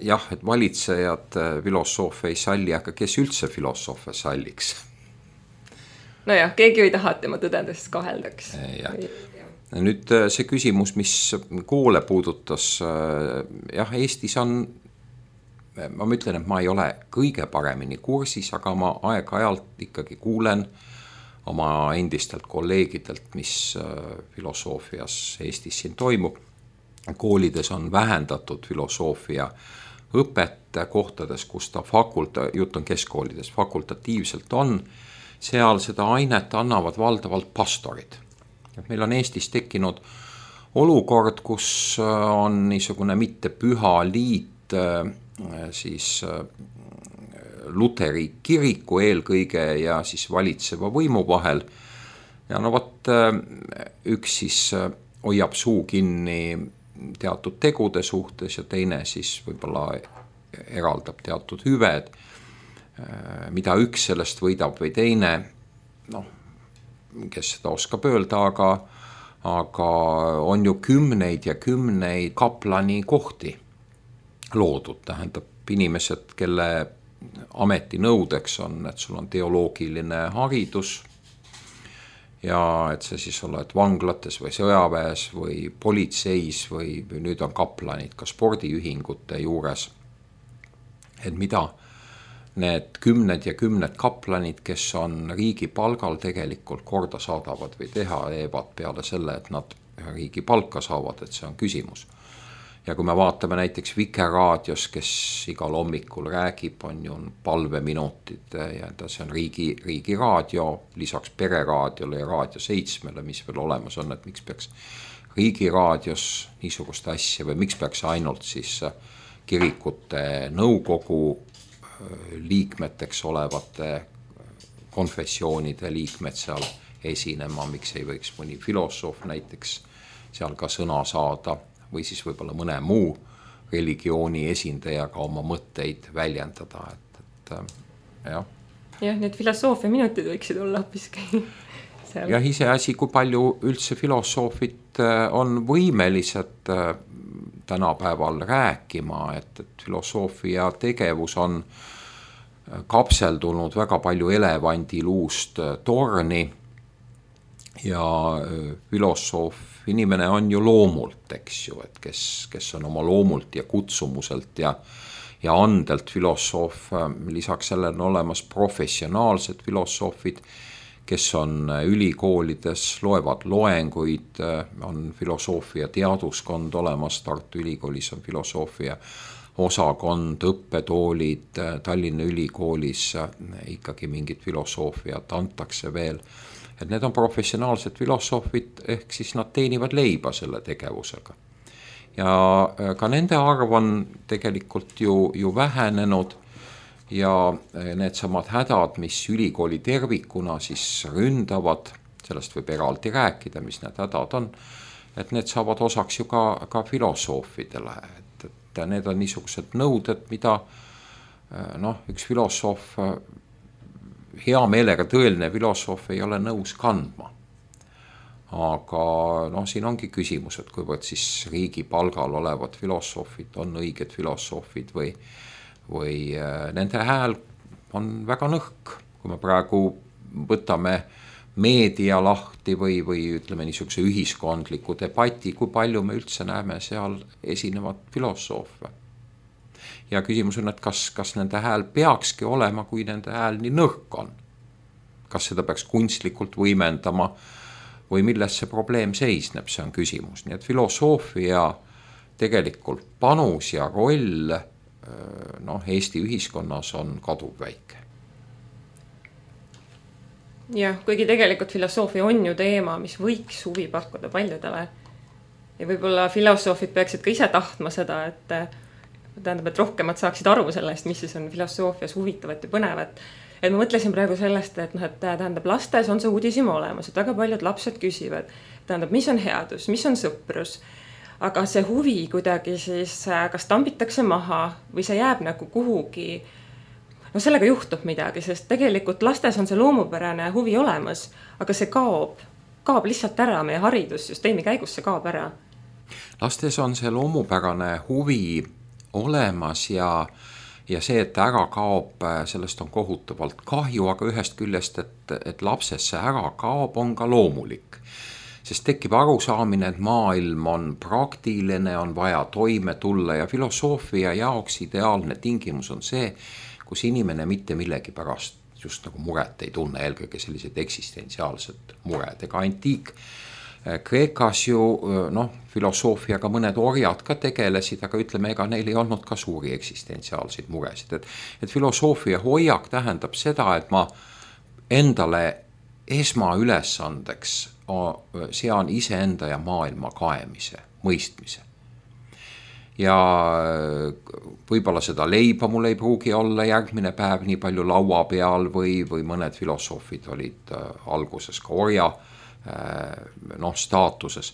E: Jah, et valitsejad filosoofe ei salli, aga kes üldse filosoofe salliks?
D: Nojah, keegi ei taha, et tema tõdendest kaheldaks.
E: Nüüd see küsimus, mis koole puudutas, jah, Eestis on ma ütlen, et ma ei ole kõige paremini kursis, aga ma aeg-ajalt ikkagi kuulen oma endistelt kolleegidelt, mis filosoofias Eestis siin toimub. Koolides on vähendatud filosoofia õpet kohtades, kus ta jutt on keskkoolides, fakultatiivselt on, seal seda ainet annavad valdavalt pastorid. Meil on Eestis tekkinud olukord, kus on niisugune mitte püha liit siis Luteri kiriku eelkõige ja siis valitseva võimu vahel. Ja no võt, üks siis hoiab suu kinni teatud tegude suhtes ja teine siis võib-olla eraldab teatud hüved, mida üks sellest võidab või teine, noh, kes seda oskab öelda, aga on ju kümneid ja kümneid kaplani kohti loodud, tähendab inimesed, kelle ametinõudeks on, et sul on teoloogiline haridus ja et sa siis oled vanglates või sõjaväes või politseis või nüüd on kaplanid ka spordiühingute juures. Et mida need kümned ja kümned kaplanid, kes on riigi palgal, tegelikult korda saadavad või teevad peale selle, et nad riigi palka saavad, et see on küsimus. Ja kui me vaatame näiteks Vikerraadios, kes igal hommikul räägib, on ju palveminutid ja see on riigi raadio, lisaks Pereraadiole ja Raadio 7, mis veel olemas on, et miks peaks riigi raadios niisugust asja või miks peaks ainult siis kirikute nõukogu liikmeteks olevate konfessioonide liikmed seal esinema, miks ei võiks mõni filosoof näiteks seal ka sõna saada või siis võib-olla mõne muu religiooni esindajaga oma mõtteid väljendada, et jah.
D: Jah, need filosoofia minutid võiksid olla hoopiski seal.
E: Ja iseasi, kui palju üldse filosoofid on võimelised tänapäeval rääkima, et filosoofia tegevus on kapseldunud väga palju elevandiluust torni ja inimene on ju loomult, eks ju, et kes on oma loomult ja kutsumuselt ja andelt filosoof, lisaks sellele on olemas professionaalsed filosoofid, kes on ülikoolides, loevad loenguid, on filosoofia teaduskond olemas, Tartu Ülikoolis on filosoofia osakond, õppetoolid, Tallinna Ülikoolis ikkagi mingit filosoofiat antakse veel. Et need on professionaalsed filosoofid, ehk siis nad teenivad leiba selle tegevusega. Ja ka nende arv on tegelikult ju vähenenud ja need samad hädad, mis ülikooli tervikuna siis ründavad, sellest võib eraldi rääkida, mis need hädad on, et need saavad osaks ju ka filosoofidele, et need on niisugused nõuded, mida üks filosoof, hea meelega tõeline filosoof ei ole nõus kandma. Aga siin ongi küsimus, et kuivõrd siis riigi palgal olevad filosoofid on õiged filosoofid või nende hääl on väga nõrk. Kui me praegu võtame meedia lahti või ütleme niisuguse ühiskondliku debati, kui palju me üldse näeme seal esinevad filosoofe. Ja küsimus on, et kas nende hääl peakski olema, kui nende hääl nii nõrk on. Kas seda peaks kunstlikult võimendama või milles see probleem seisneb, see on küsimus. Nii et filosoofia tegelikult panus ja roll Eesti ühiskonnas on kaduvväike.
D: Jah, kuigi tegelikult filosoofia on ju teema, mis võiks huvi pakkuda paljudele. Ja võib-olla filosoofid peaksid ka ise tahtma seda, et rohkemad saaksid aru sellest, mis siis on filosoofias huvitavat ja põnevat. Et ma mõtlesin praegu sellest, et tähendab lastes on see uudisima olemas, et väga paljud lapsed küsivad, tähendab, mis on headus, mis on sõprus, aga see huvi kuidagi siis kas tambitakse maha või see jääb nagu kuhugi, sellega juhtub midagi, sest tegelikult lastes on see loomupärane huvi olemas, aga see kaob lihtsalt ära, meie haridussüsteemi käigus see kaob ära.
E: Lastes on see loomupärane huvi olemas ja see, et ära kaob, sellest on kohutavalt kahju, aga ühest küljest, et lapses see ära kaob, on ka loomulik. sest tekib arusaamine, et maailm on praktiline, on vaja toime tulla ja filosoofia jaoks ideaalne tingimus on see, kus inimene mitte millegi pärast just nagu muret ei tunne, eelkõige sellised eksistentsiaalsed mured. Ega antiik Kreekas ju filosoofiaga mõned orjad ka tegelesid, aga ütleme, ega neil ei olnud ka suuri eksistentsiaalseid muresid. Et filosoofia hoiak tähendab seda, et ma endale esmaülesandeks sean iseenda ja maailma kaemise, mõistmise. Ja võib-olla seda leiba mul ei pruugi olla järgmine päev nii palju laua peal või mõned filosoofid olid alguses ka orja staatuses.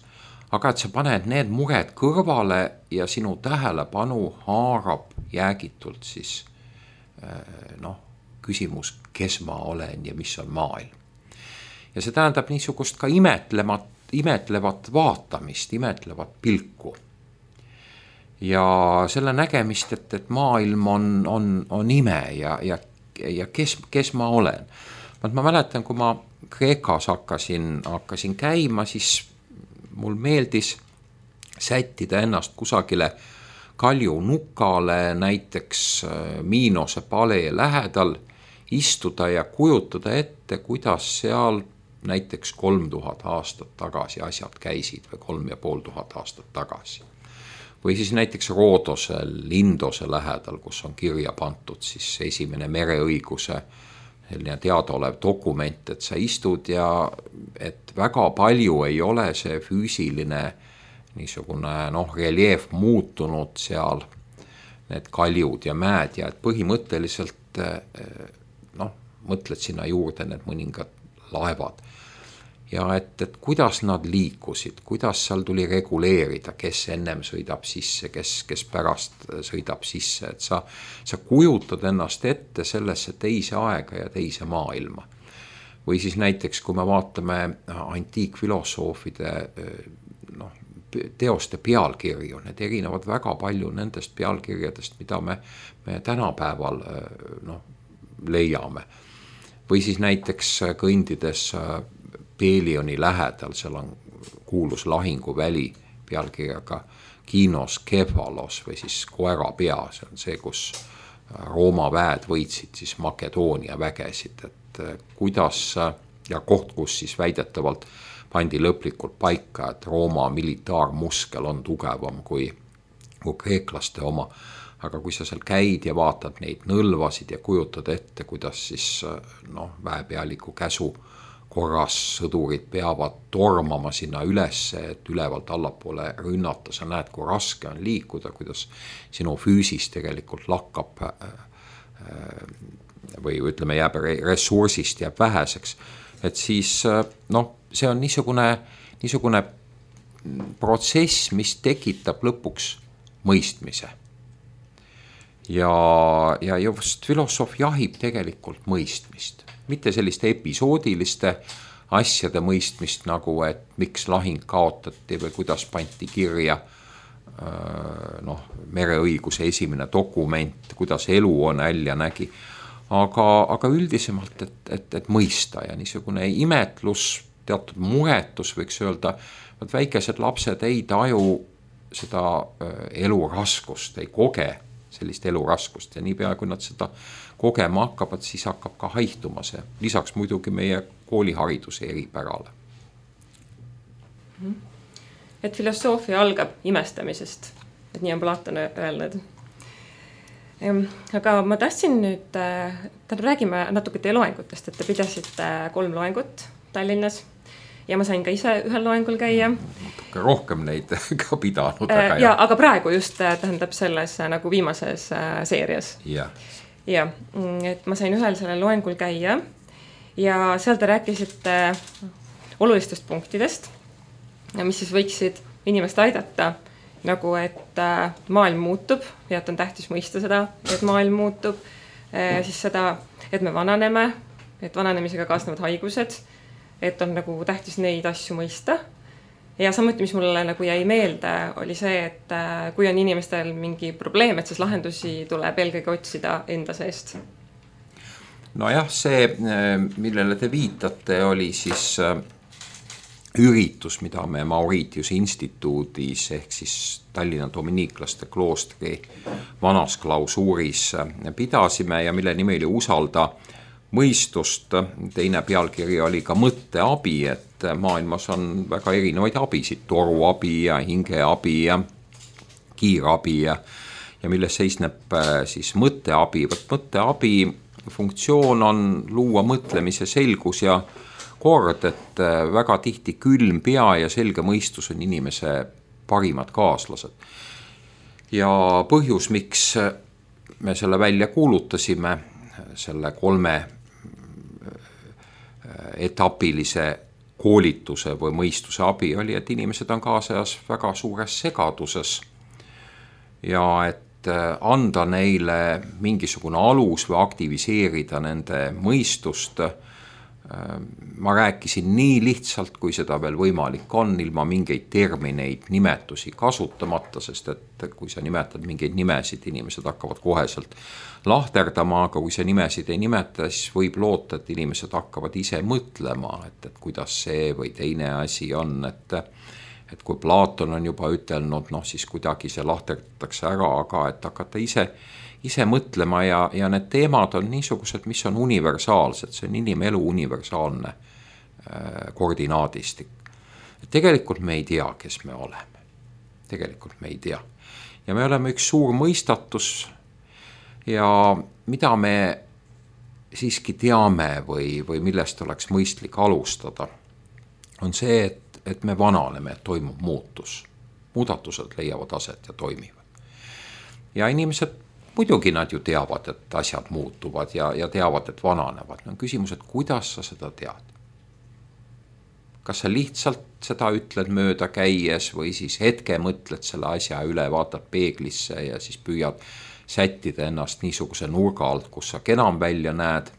E: Aga et sa paned need mured kõrvale ja sinu tähelepanu haarab jäägitult siis küsimus, kes ma olen ja mis on maailm. Ja see tähendab niisugust ka imetlevat vaatamist, imetlevat pilku. Ja selle nägemist, et maailm on ime ja kes ma olen. Ma mäletan, kui ma Kreekas hakkasin käima, siis mul meeldis sättida ennast kusagile kaljunukale, näiteks Miinose palee lähedal, istuda ja kujutada ette, kuidas seal näiteks 3000 aastat tagasi asjad käisid või 3500 aastat tagasi. Või siis näiteks Roodose, Lindose lähedal, kus on kirja pandud siis esimene mereõiguse selline teadaolev dokument, et sa istud ja et väga palju ei ole see füüsiline niisugune reljeef muutunud seal, need kaljud ja mäed ja et põhimõtteliselt mõtled sinna juurde need mõningad laevad. Ja et kuidas nad liikusid, kuidas seal tuli reguleerida, kes ennem sõidab sisse, kes pärast sõidab sisse, et sa kujutad ennast ette sellesse teise aega ja teise maailma. Või siis näiteks, kui me vaatame antiikfilosoofide teoste pealkirju, need erinevad väga palju nendest pealkirjadest, mida me tänapäeval leiame. Või siis näiteks kõndides Pelioni lähedal, seal on kuulus lahinguväli pealkirjaga Kinos Kefalos või siis koera pea, see on see, kus Rooma väed võitsid siis Makedoonia vägesid, et kuidas ja koht, kus siis väidetavalt pandi lõplikult paika, et Rooma militaarmuskel on tugevam kui kreeklaste oma. Aga kui sa seal käid ja vaatad neid nõlvasid ja kujutad ette, kuidas siis väepealiku käsu korras sõdurid peavad tormama sinna ülesse, et ülevalt allapoole rünnata, sa näed, kui raske on liikuda, kuidas sinu füüsis tegelikult lakkab või ütleme, jääb ressursist jääb väheseks. Et siis see on niisugune protsess, mis tekitab lõpuks mõistmise. Ja just filosoof jahib tegelikult mõistmist. Mitte selliste episoodiliste asjade mõistmist nagu, et miks lahing kaotati või kuidas pandi kirja mereõiguse esimene dokument, kuidas elu on välja nägi. Aga üldisemalt, et mõista ja niisugune imetlus, teatud muretus võiks öelda, et väikesed lapsed ei taju seda elu raskust, ei koge sellist elu raskust ja niipea, kui nad seda kogema hakkavad, siis hakkab ka haihtuma see. Lisaks muidugi meie koolihariduse eripärale.
D: Et filosoofia algab imestamisest, et nii on Platon öelnud. Aga ma tahtsin nüüd, räägime natuke teie loengutest, et te pidasite 3 loengut Tallinnas ja ma sain ka ise ühel loengul käia.
E: Rohkem neid ka pidanud.
D: Aga praegu just tähendab selles nagu viimases seerias. Ja, et ma sain ühel sellel loengul käia ja seal te rääkisite olulistest punktidest, mis siis võiksid inimest aidata, nagu et maailm muutub ja et on tähtis mõista seda, et maailm muutub, siis seda, et me vananeme, et vananemisega kaasnevad haigused, et on nagu tähtis neid asju mõista. Ja samuti, mis mulle nagu jäi meelde, oli see, et kui on inimestel mingi probleem, et siis lahendusi tuleb eelkõige otsida enda seest.
E: Nojah, see, millele te viitate, oli siis üritus, mida me Mauritiuse instituudis ehk siis Tallinna dominiiklaste kloostri vanas klausuuris pidasime ja mille nimi oli Usalda mõistust. Teine pealkiri oli ka mõtteabi, et maailmas on väga erinevaid abisid, toruabi ja hingeabi ja kiirabi ja milles seisneb siis mõtteabi. Mõtteabi funktsioon on luua mõtlemise selgus ja kord, et väga tihti külm pea ja selge mõistus on inimese parimad kaaslased. Ja põhjus, miks me selle välja kuulutasime, selle 3 etapilise koolituse või mõistuse abi oli, et inimesed on kaasajas väga suures segaduses ja et anda neile mingisugune alus või aktiviseerida nende mõistust. Ma rääkisin nii lihtsalt, kui seda veel võimalik on, ilma mingeid termineid, nimetusi kasutamata, sest et kui sa nimetad mingeid nimesid, inimesed hakkavad koheselt lahterdama, aga kui sa nimesid ei nimeta, siis võib loota, et inimesed hakkavad ise mõtlema, et kuidas see või teine asi on, et kui Platon on juba ütelnud, siis kuidagi see lahterdatakse ära, aga et hakata ise mõtlema ja need teemad on niisugused, mis on universaalsed, see on inimelu universaalne koordinaadistik. Tegelikult me ei tea, kes me oleme. Tegelikult me ei tea. Ja me oleme üks suur mõistatus ja mida me siiski teame või millest oleks mõistlik alustada, on see, et me vananeme, et toimub muutus. Muudatused leiavad aset ja toimivad. Ja inimesed muidugi nad ju teavad, et asjad muutuvad ja teavad, et vananevad. On küsimus, et kuidas sa seda tead? Kas sa lihtsalt seda ütled mööda käies või siis hetke mõtled selle asja üle, vaatad peeglisse ja siis püüad sättida ennast niisuguse nurga alt, kus sa kenam välja näed,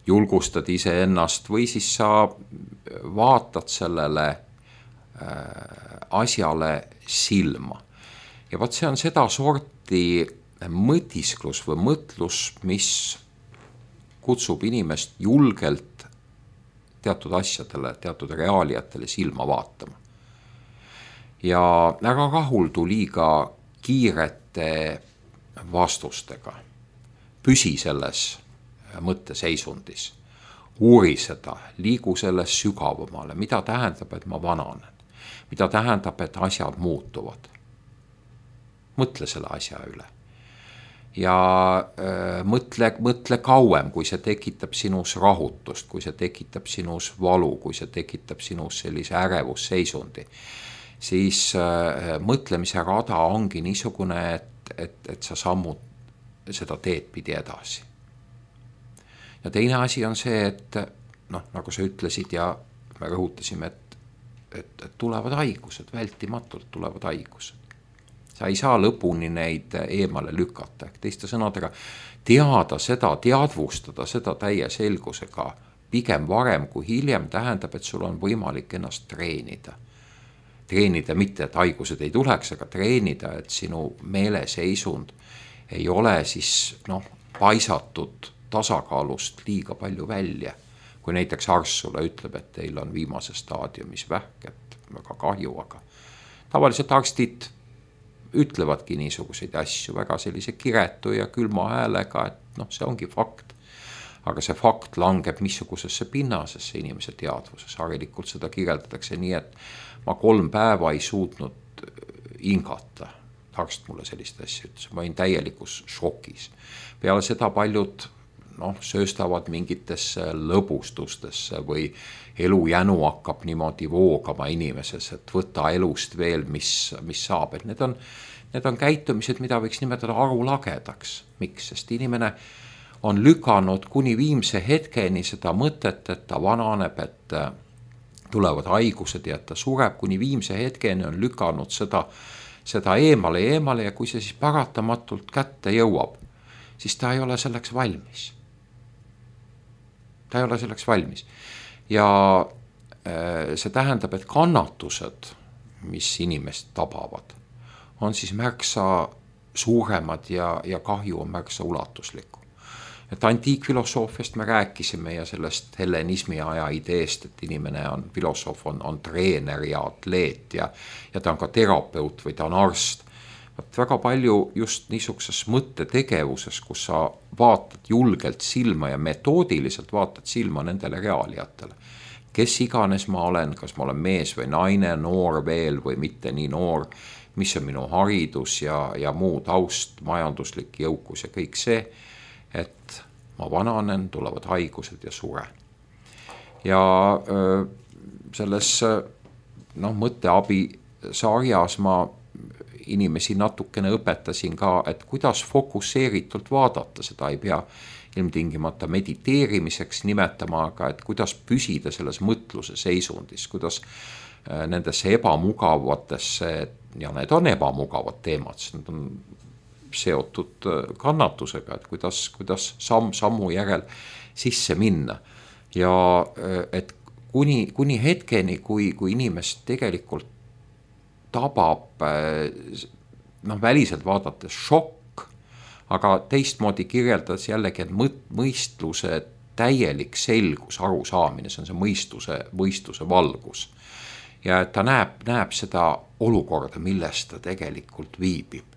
E: julgustad ise ennast või siis sa vaatad sellele asjale silma. Ja vaat see on seda sorti mõtisklus või mõtlus, mis kutsub inimest julgelt teatud asjadele, teatud reaaliatele silma vaatama. Ja ära rahuldu liiga kiirete vastustega. Püsi selles mõtteseisundis. Uuri seda, liigu selles sügavamale, mida tähendab, et ma vananen. Mida tähendab, et asjad muutuvad. Mõtle selle asja üle. Ja mõtle kauem, kui see tekitab sinus rahutust, kui see tekitab sinus valu, kui see tekitab sinus sellise ärevusseisundi, siis mõtlemise rada ongi niisugune, et sa sammud seda teed pidi edasi. Ja teine asi on see, et nagu sa ütlesid ja me rõhutasime, et tulevad haigused, vältimatult tulevad haigused. Sa ei saa lõpuni neid eemale lükata. Teiste sõnadega teada seda, teadvustada seda täie selgusega pigem varem kui hiljem tähendab, et sul on võimalik ennast treenida. Treenida mitte, et haigused ei tuleks, aga treenida, et sinu meeleseisund ei ole siis paisatud tasakaalust liiga palju välja. Kui näiteks arst sulle ütleb, et teil on viimases staadiumis vähk, et väga kahju, aga tavaliselt arstid ütlevadki niisuguseid asju väga sellise kiretu ja külma häälega, et see ongi fakt. Aga see fakt langeb missugusesse pinnasesse inimese teadvuses. Harilikult seda kirjeldatakse nii, et ma 3 päeva ei suutnud hingata. Arst mulle sellist asja ütles. Ma olin täielikus šokis. Peale seda paljud sööstavad mingitesse lõbustustesse või elujänu hakkab niimoodi voogama inimeses, et võtta elust veel, mis saab. Et need on käitumised, mida võiks nimetada arulagedaks. Miks? Sest inimene on lükanud kuni viimse hetkeni seda mõtet, et ta vananeb, et tulevad haigused ja et ta sureb. Kuni viimse hetkeni on lükanud seda eemale ja kui see siis paratamatult kätte jõuab, siis ta ei ole selleks valmis. Ta ei ole selleks valmis. Ja see tähendab, et kannatused, mis inimest tabavad, on siis märksa suuremad ja kahju on märksa ulatuslikum. et antiikfilosoofiast me rääkisime ja sellest hellenismi aja ideest, et inimene on, filosoof on treener ja atleet ja ta on ka terapeut või ta on arst. Väga palju just niisuguses mõttetegevuses, kus sa vaatad julgelt silma ja metoodiliselt vaatad silma nendele reaaliatele. Kes iganes ma olen, kas ma olen mees või naine, noor veel või mitte nii noor, mis on minu haridus ja muu taust, majanduslik jõukus ja kõik see, et ma vananen, tulevad haigused ja suren. Ja selles mõtteabi sarjas ma inimesi natukene õpetasin ka, et kuidas fokusseeritult vaadata, seda ei pea ilmtingimata mediteerimiseks nimetama, aga et kuidas püsida selles mõtluse seisundis, kuidas nendesse ebamugavatesse, ja need on ebamugavad teemad, need on seotud kannatusega, et kuidas sammu järel sisse minna. Ja et kuni hetkeni, kui inimest tegelikult tabab väliselt vaadates šokk, aga teistmoodi kirjeldas jällegi, et mõistluse täielik selgus, arusaamine, see on see mõistuse valgus. Ja et ta näeb seda olukorda, milles ta tegelikult viibib,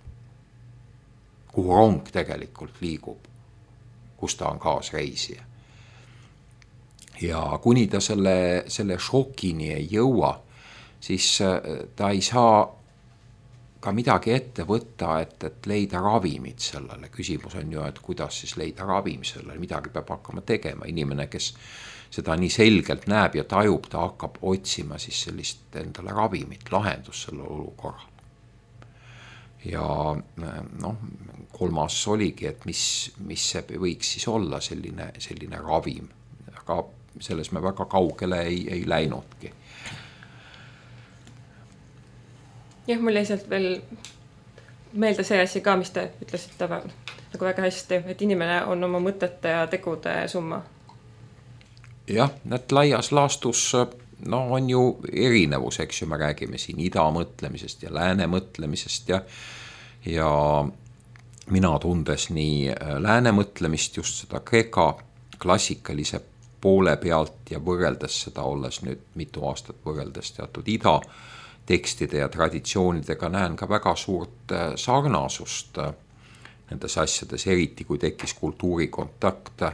E: kuhu rong tegelikult liigub, kus ta on kaasreisija. Ja kuni ta selle šokini ei jõua, siis ta ei saa ka midagi ette võtta, et leida ravimit sellele. Küsimus on ju, et kuidas siis leida ravim sellele, midagi peab hakkama tegema. Inimene, kes seda nii selgelt näeb ja tajub, ta hakkab otsima siis sellist endale ravimit, lahendust selle olukorral. Ja kolmas oligi, et mis see võiks siis olla selline ravim. Aga selles me väga kaugele ei läinudki.
D: Jah, mul jäi sealt veel meelde see asi ka, mis te ütlesite nagu väga hästi, et inimene on oma mõtete ja tegude summa.
E: Jah, need laias laastus on ju erinevus, eks ju, me räägime siin ida mõtlemisest ja lääne mõtlemisest ja mina tundes nii lääne mõtlemist, just seda Kreeka klassikalise poole pealt ja võrreldes seda, olles nüüd mitu aastat võrreldes teatud ida tekstide ja traditsioonidega, näen ka väga suurt sarnasust nendes asjades, eriti kui tekkis kultuurikontakt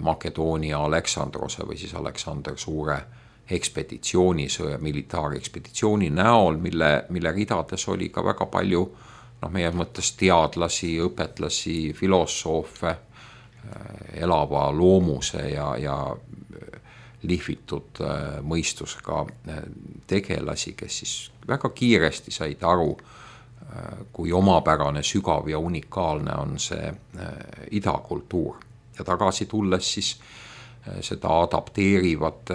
E: Makedoonia Aleksandrose või siis Aleksander Suure ekspeditsioonisõja, militaarekspeditsiooni näol, mille ridades oli ka väga palju meie mõttes teadlasi, õpetlasi, filosoofe, elava loomuse ja lihvitud mõistusega tegelasi, kes siis väga kiiresti said aru, kui omapärane, sügav ja unikaalne on see idakultuur. Ja tagasi tulles siis seda adapteerivad,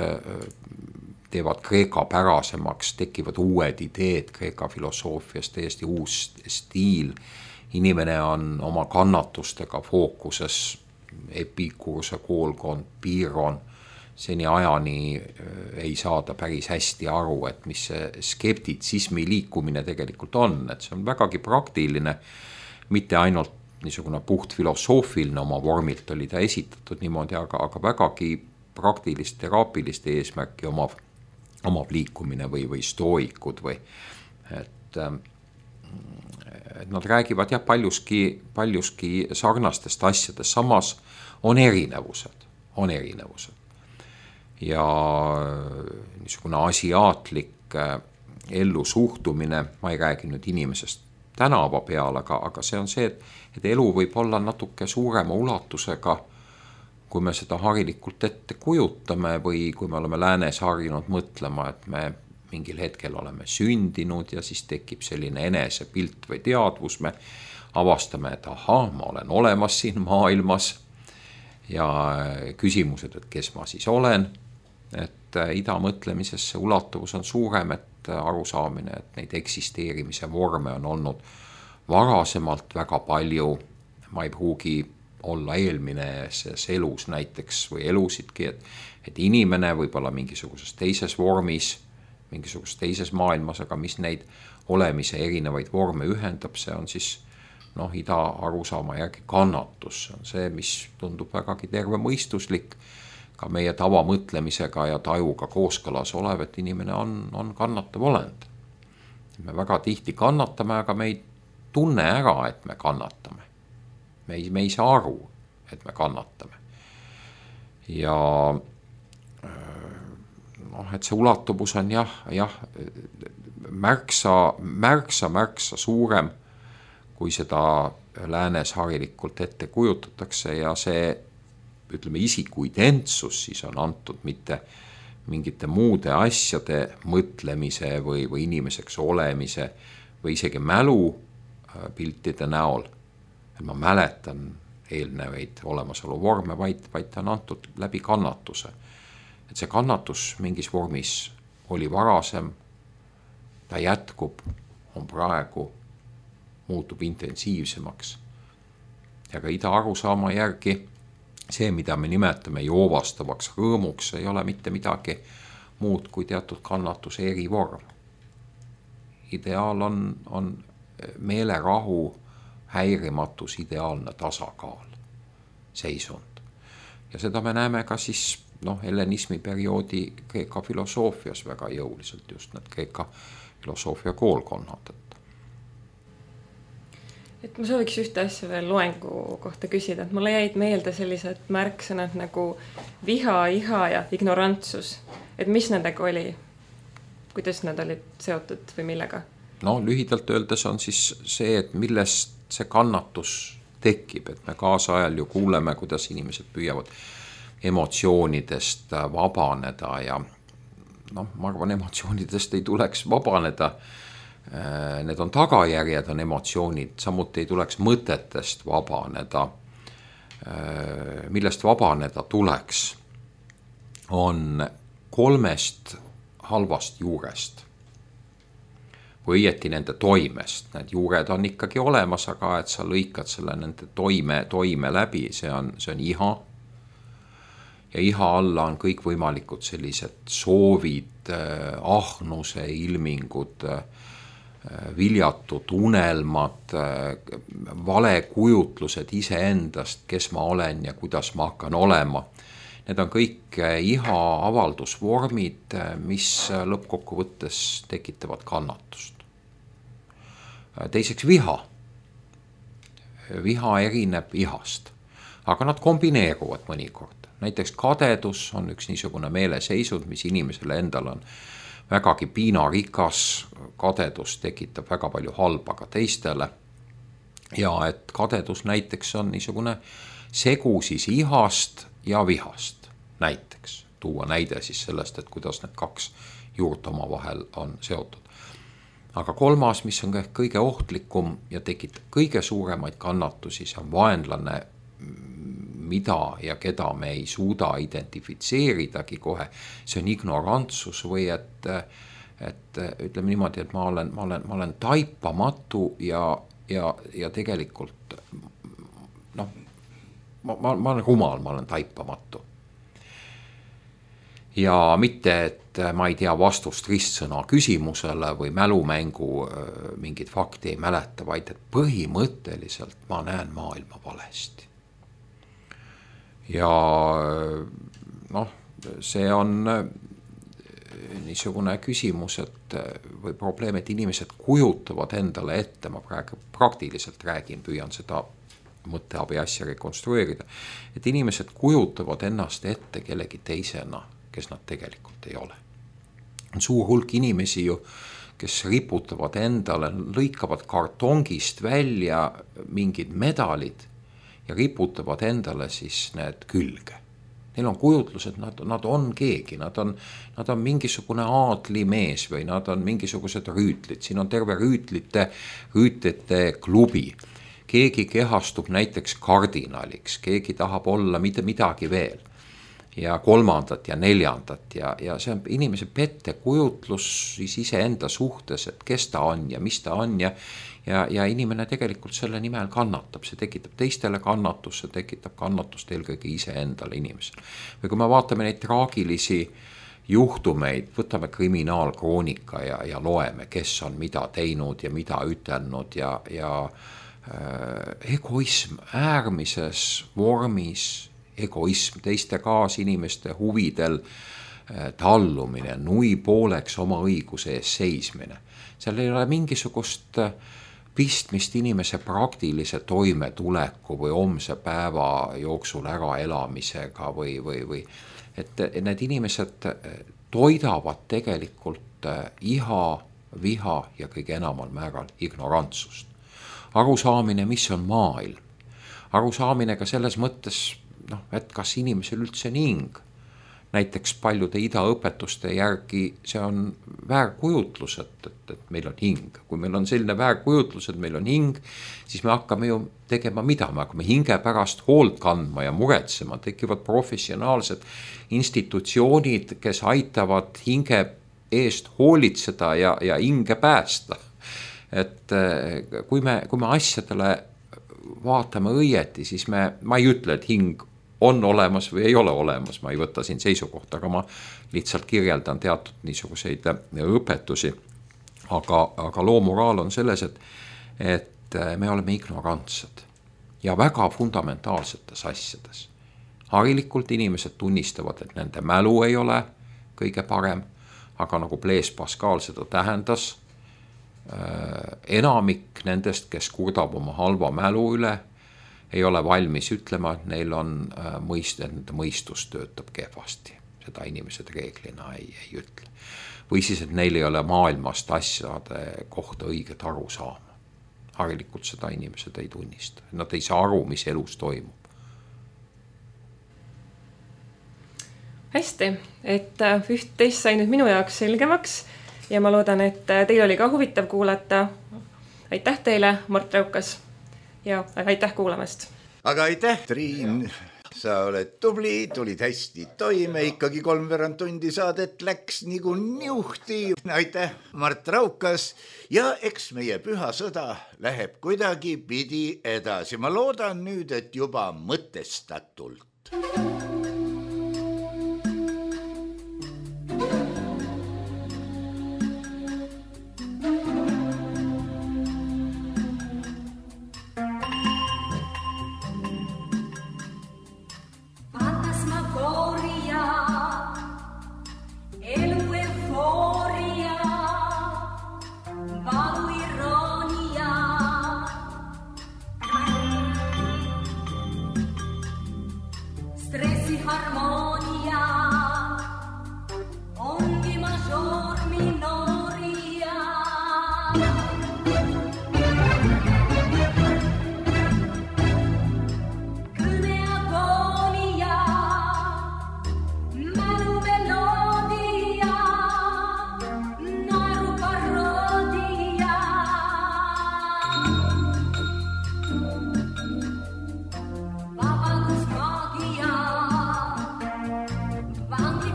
E: teevad Kreeka pärasemaks, tekivad uued ideed Kreeka filosoofias, täiesti uus stiil. Inimene on oma kannatustega fookuses, Epikuruse koolkond, Piiron, seni ajani ei saada päris hästi aru, et mis see skeptitsismi liikumine tegelikult on, et see on vägagi praktiline, mitte ainult niisugune puht filosoofiline oma vormilt oli ta esitatud niimoodi, aga vägagi praktilist teraapilist eesmärki omav liikumine või stooikud või et nad räägivad paljuski sarnastest asjadest, samas on erinevused. Ja niisugune asiaatlik ellusuhtumine, ma ei räägi nüüd inimesest tänava peal, aga see on see, et elu võib olla natuke suurema ulatusega, kui me seda harilikult ette kujutame või kui me oleme läänes harjunud mõtlema, et me mingil hetkel oleme sündinud ja siis tekib selline enesepilt või teadvus, me avastame, et ma olen olemas siin maailmas ja küsimused, et kes ma siis olen, et ida mõtlemises see ulatuvus on suurem, et arusaamine, et neid eksisteerimise vorme on olnud varasemalt väga palju, ma ei pruugi olla eelmises elus näiteks või elusidki, et inimene võib olla mingisuguses teises vormis, mingisuguses teises maailmas, aga mis neid olemise erinevaid vorme ühendab, see on siis ida arusaama järgi kannatus on see, mis tundub vägagi tervemõistuslik, ka meie tavamõtlemisega ja tajuga kooskõlas olev, et inimene on kannatav olend. Me väga tihti kannatame, aga me ei tunne ära, et me kannatame. Me ei saa aru, et me kannatame. Ja et see ulatubus on märksa suurem, kui seda läänes harilikult ette kujutatakse ja see, ütleme, isiku identsus siis on antud mitte mingite muude asjade mõtlemise või inimeseks olemise või isegi mälu piltide näol. Et ma mäletan eelnevaid olemasolu vorme, vaid ta on antud läbi kannatuse. Et see kannatus mingis vormis oli varasem, ta jätkub, on praegu, muutub intensiivsemaks. Ja ka ida arusaama järgi see, mida me nimetame joovastavaks rõõmuks, ei ole mitte midagi muud kui teatud kannatuse erivorm. Ideaal on meelerahu, häirimatus, ideaalne tasakaal, seisund. Ja seda me näeme ka siis hellenismi perioodi Kreeka filosoofias väga jõuliselt, just need Kreeka filosoofia koolkonnad.
D: Et ma sooviks ühte asja veel loengu kohta küsida, et mulle jäid meelde sellised märksõnad nagu viha, iha ja ignorantsus. Et mis nendega oli? Kuidas nad olid seotud või millega?
E: Lühidalt öeldes on siis see, et millest see kannatus tekib, et me kaasajal ju kuuleme, kuidas inimesed püüavad emotsioonidest vabaneda ja ma arvan, emotsioonidest ei tuleks vabaneda. Need on tagajärjed, on emotsioonid, samuti ei tuleks mõtetest vabaneda. Millest vabaneda tuleks, on 3 halvast juurest. Või õieti nende toimest. Need juured on ikkagi olemas, aga et sa lõikad selle nende toime läbi, see on iha. Ja iha alla on kõik võimalikud sellised soovid, ahnuse ilmingud, viljatud unelmad, valekujutlused iseendast, kes ma olen ja kuidas ma hakkan olema. Need on kõik iha avaldusvormid, mis lõppkokkuvõttes tekitavad kannatust. Teiseks viha. Viha erineb ihast, aga nad kombineeruvad mõnikord. Näiteks kadedus on üks niisugune meeleseisund, mis inimesele endal on vägagi piinarikas, kadedus tekitab väga palju halba ka teistele. Ja et kadedus näiteks on niisugune segu siis ihast ja vihast. Näiteks tuua näide siis sellest, et kuidas need 2 juurt oma vahel on seotud. Aga 3, mis on kõige ohtlikum ja tekitab kõige suuremaid kannatusi, see on vaenlane, mida ja keda me ei suuda identifitseeridagi kohe. See on ignorantsus või et ütleme niimoodi, et ma olen taipamatu ja tegelikult ma olen rumal, ma olen taipamatu. Ja mitte, et ma ei tea vastust ristsõna küsimusele või mälumängu mingit fakti ei mäleta, vaid et põhimõtteliselt ma näen maailma valesti. Ja see on niisugune küsimus, et või probleem, et inimesed kujutavad endale ette, ma praegu praktiliselt räägin, püüan seda mõtteabi asja rekonstrueerida, et inimesed kujutavad ennast ette kellegi teisena, kes nad tegelikult ei ole. On suur hulk inimesi ju, kes riputavad endale, lõikavad kartongist välja mingid medalid ja riputavad endale siis need külge. Neil on kujutlus, et nad on keegi, nad on mingisugune aadlimees või nad on mingisugused rüütlid. Siin on terve rüütlite klubi. Keegi kehastub näiteks kardinaliks, keegi tahab olla midagi veel. Ja 3. ja 4. ja see on inimese pettekujutlus siis iseenda suhtes, et kes ta on ja mis ta on ja inimene tegelikult selle nimel kannatab, see tekitab teistele kannatust, see tekitab kannatust eelkõige iseendale inimesel. Või kui me vaatame neid traagilisi juhtumeid, võtame kriminaalkroonika ja loeme, kes on mida teinud ja mida ütelnud ja egoism äärmises vormis, egoism, teiste kaasinimeste huvidel tallumine, nui pooleks oma õiguse ees seismine. Seal ei ole mingisugust pistmist inimese praktilise toimetuleku või homse päeva jooksul äraelamisega või et need inimesed toidavad tegelikult iha, viha ja kõige enamal määral ignorantsust. Arusaamine, mis on maailm. Arusaamine ka selles mõttes, et kas inimesel üldse on hing. Näiteks paljude idaõpetuste järgi see on väärkujutlus, et meil on hing. Kui meil on selline väärkujutlus, et meil on hing, siis me hakkame ju tegema mida? Me hakkame hinge pärast hoolt kandma ja muretsema. Tekivad professionaalsed institutsioonid, kes aitavad hinge eest hoolitseda ja hinge päästa. Et kui me asjadele vaatame õieti, siis ma ei ütle, et hing on olemas või ei ole olemas, ma ei võta siin seisukohta, aga ma lihtsalt kirjeldan teatud niisuguseid õpetusi. Aga loo moraal on selles, et me oleme ignorantsed ja väga fundamentaalsetes asjades. Harilikult inimesed tunnistavad, et nende mälu ei ole kõige parem, aga nagu Blaise Pascal seda tähendas, enamik nendest, kes kurdab oma halva mälu üle, ei ole valmis ütlema, et neil on nende mõistus töötab kehvasti. Seda inimesed reeglina ei ütle. Või siis, et neil ei ole maailmast asjade kohta õiget aru saama. Harilikult seda inimesed ei tunnista. Nad ei saa aru, mis elus toimub.
D: Hästi, et üht-teist sai nüüd minu jaoks selgemaks ja ma loodan, et teil oli ka huvitav kuulata. Aitäh teile, Mart Raukas, ja aitäh kuulamast.
C: Aga aitäh, Triin, sa oled tubli, tulid hästi toime, ikkagi 3/4 tundi saadet läks nagu niuhti. Aitäh, Mart Raukas, ja eks meie püha sõda läheb kuidagi pidi edasi. Ma loodan nüüd, et juba mõtestatult.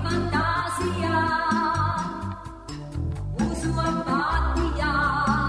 F: Fantasia, usu apatia.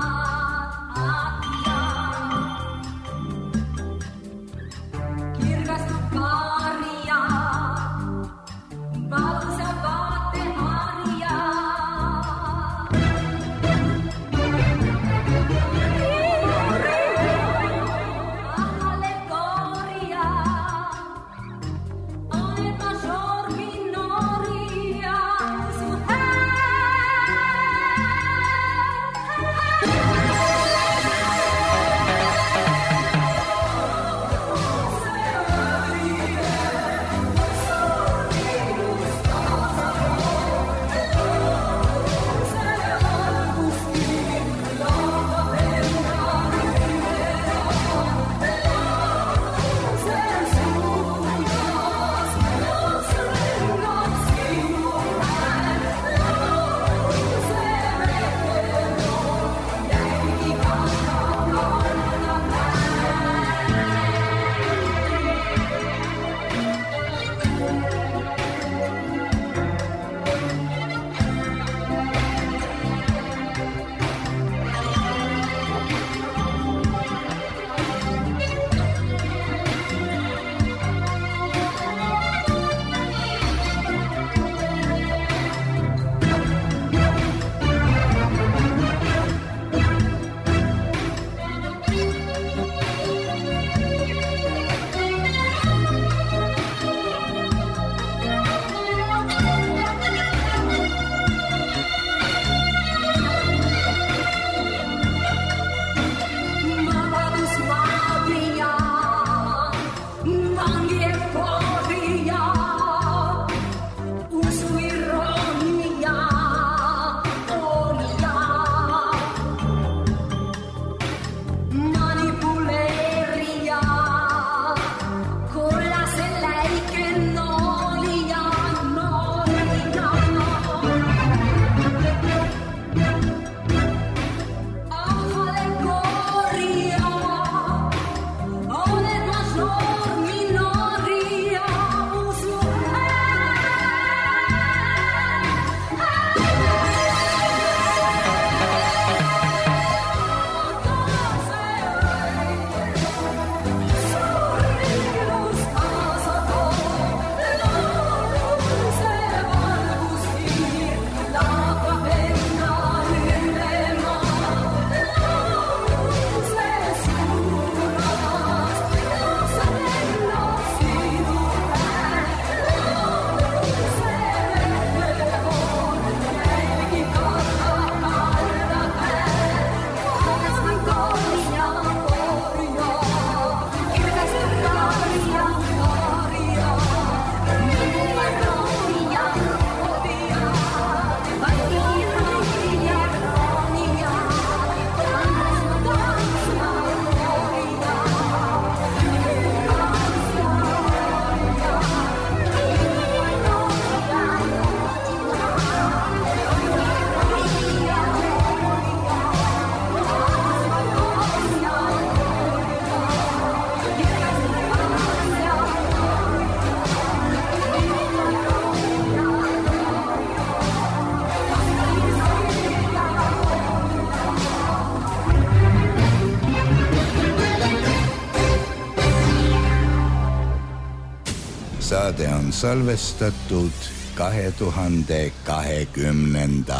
F: Saade on salvestatud 2020.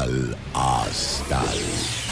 F: aastal.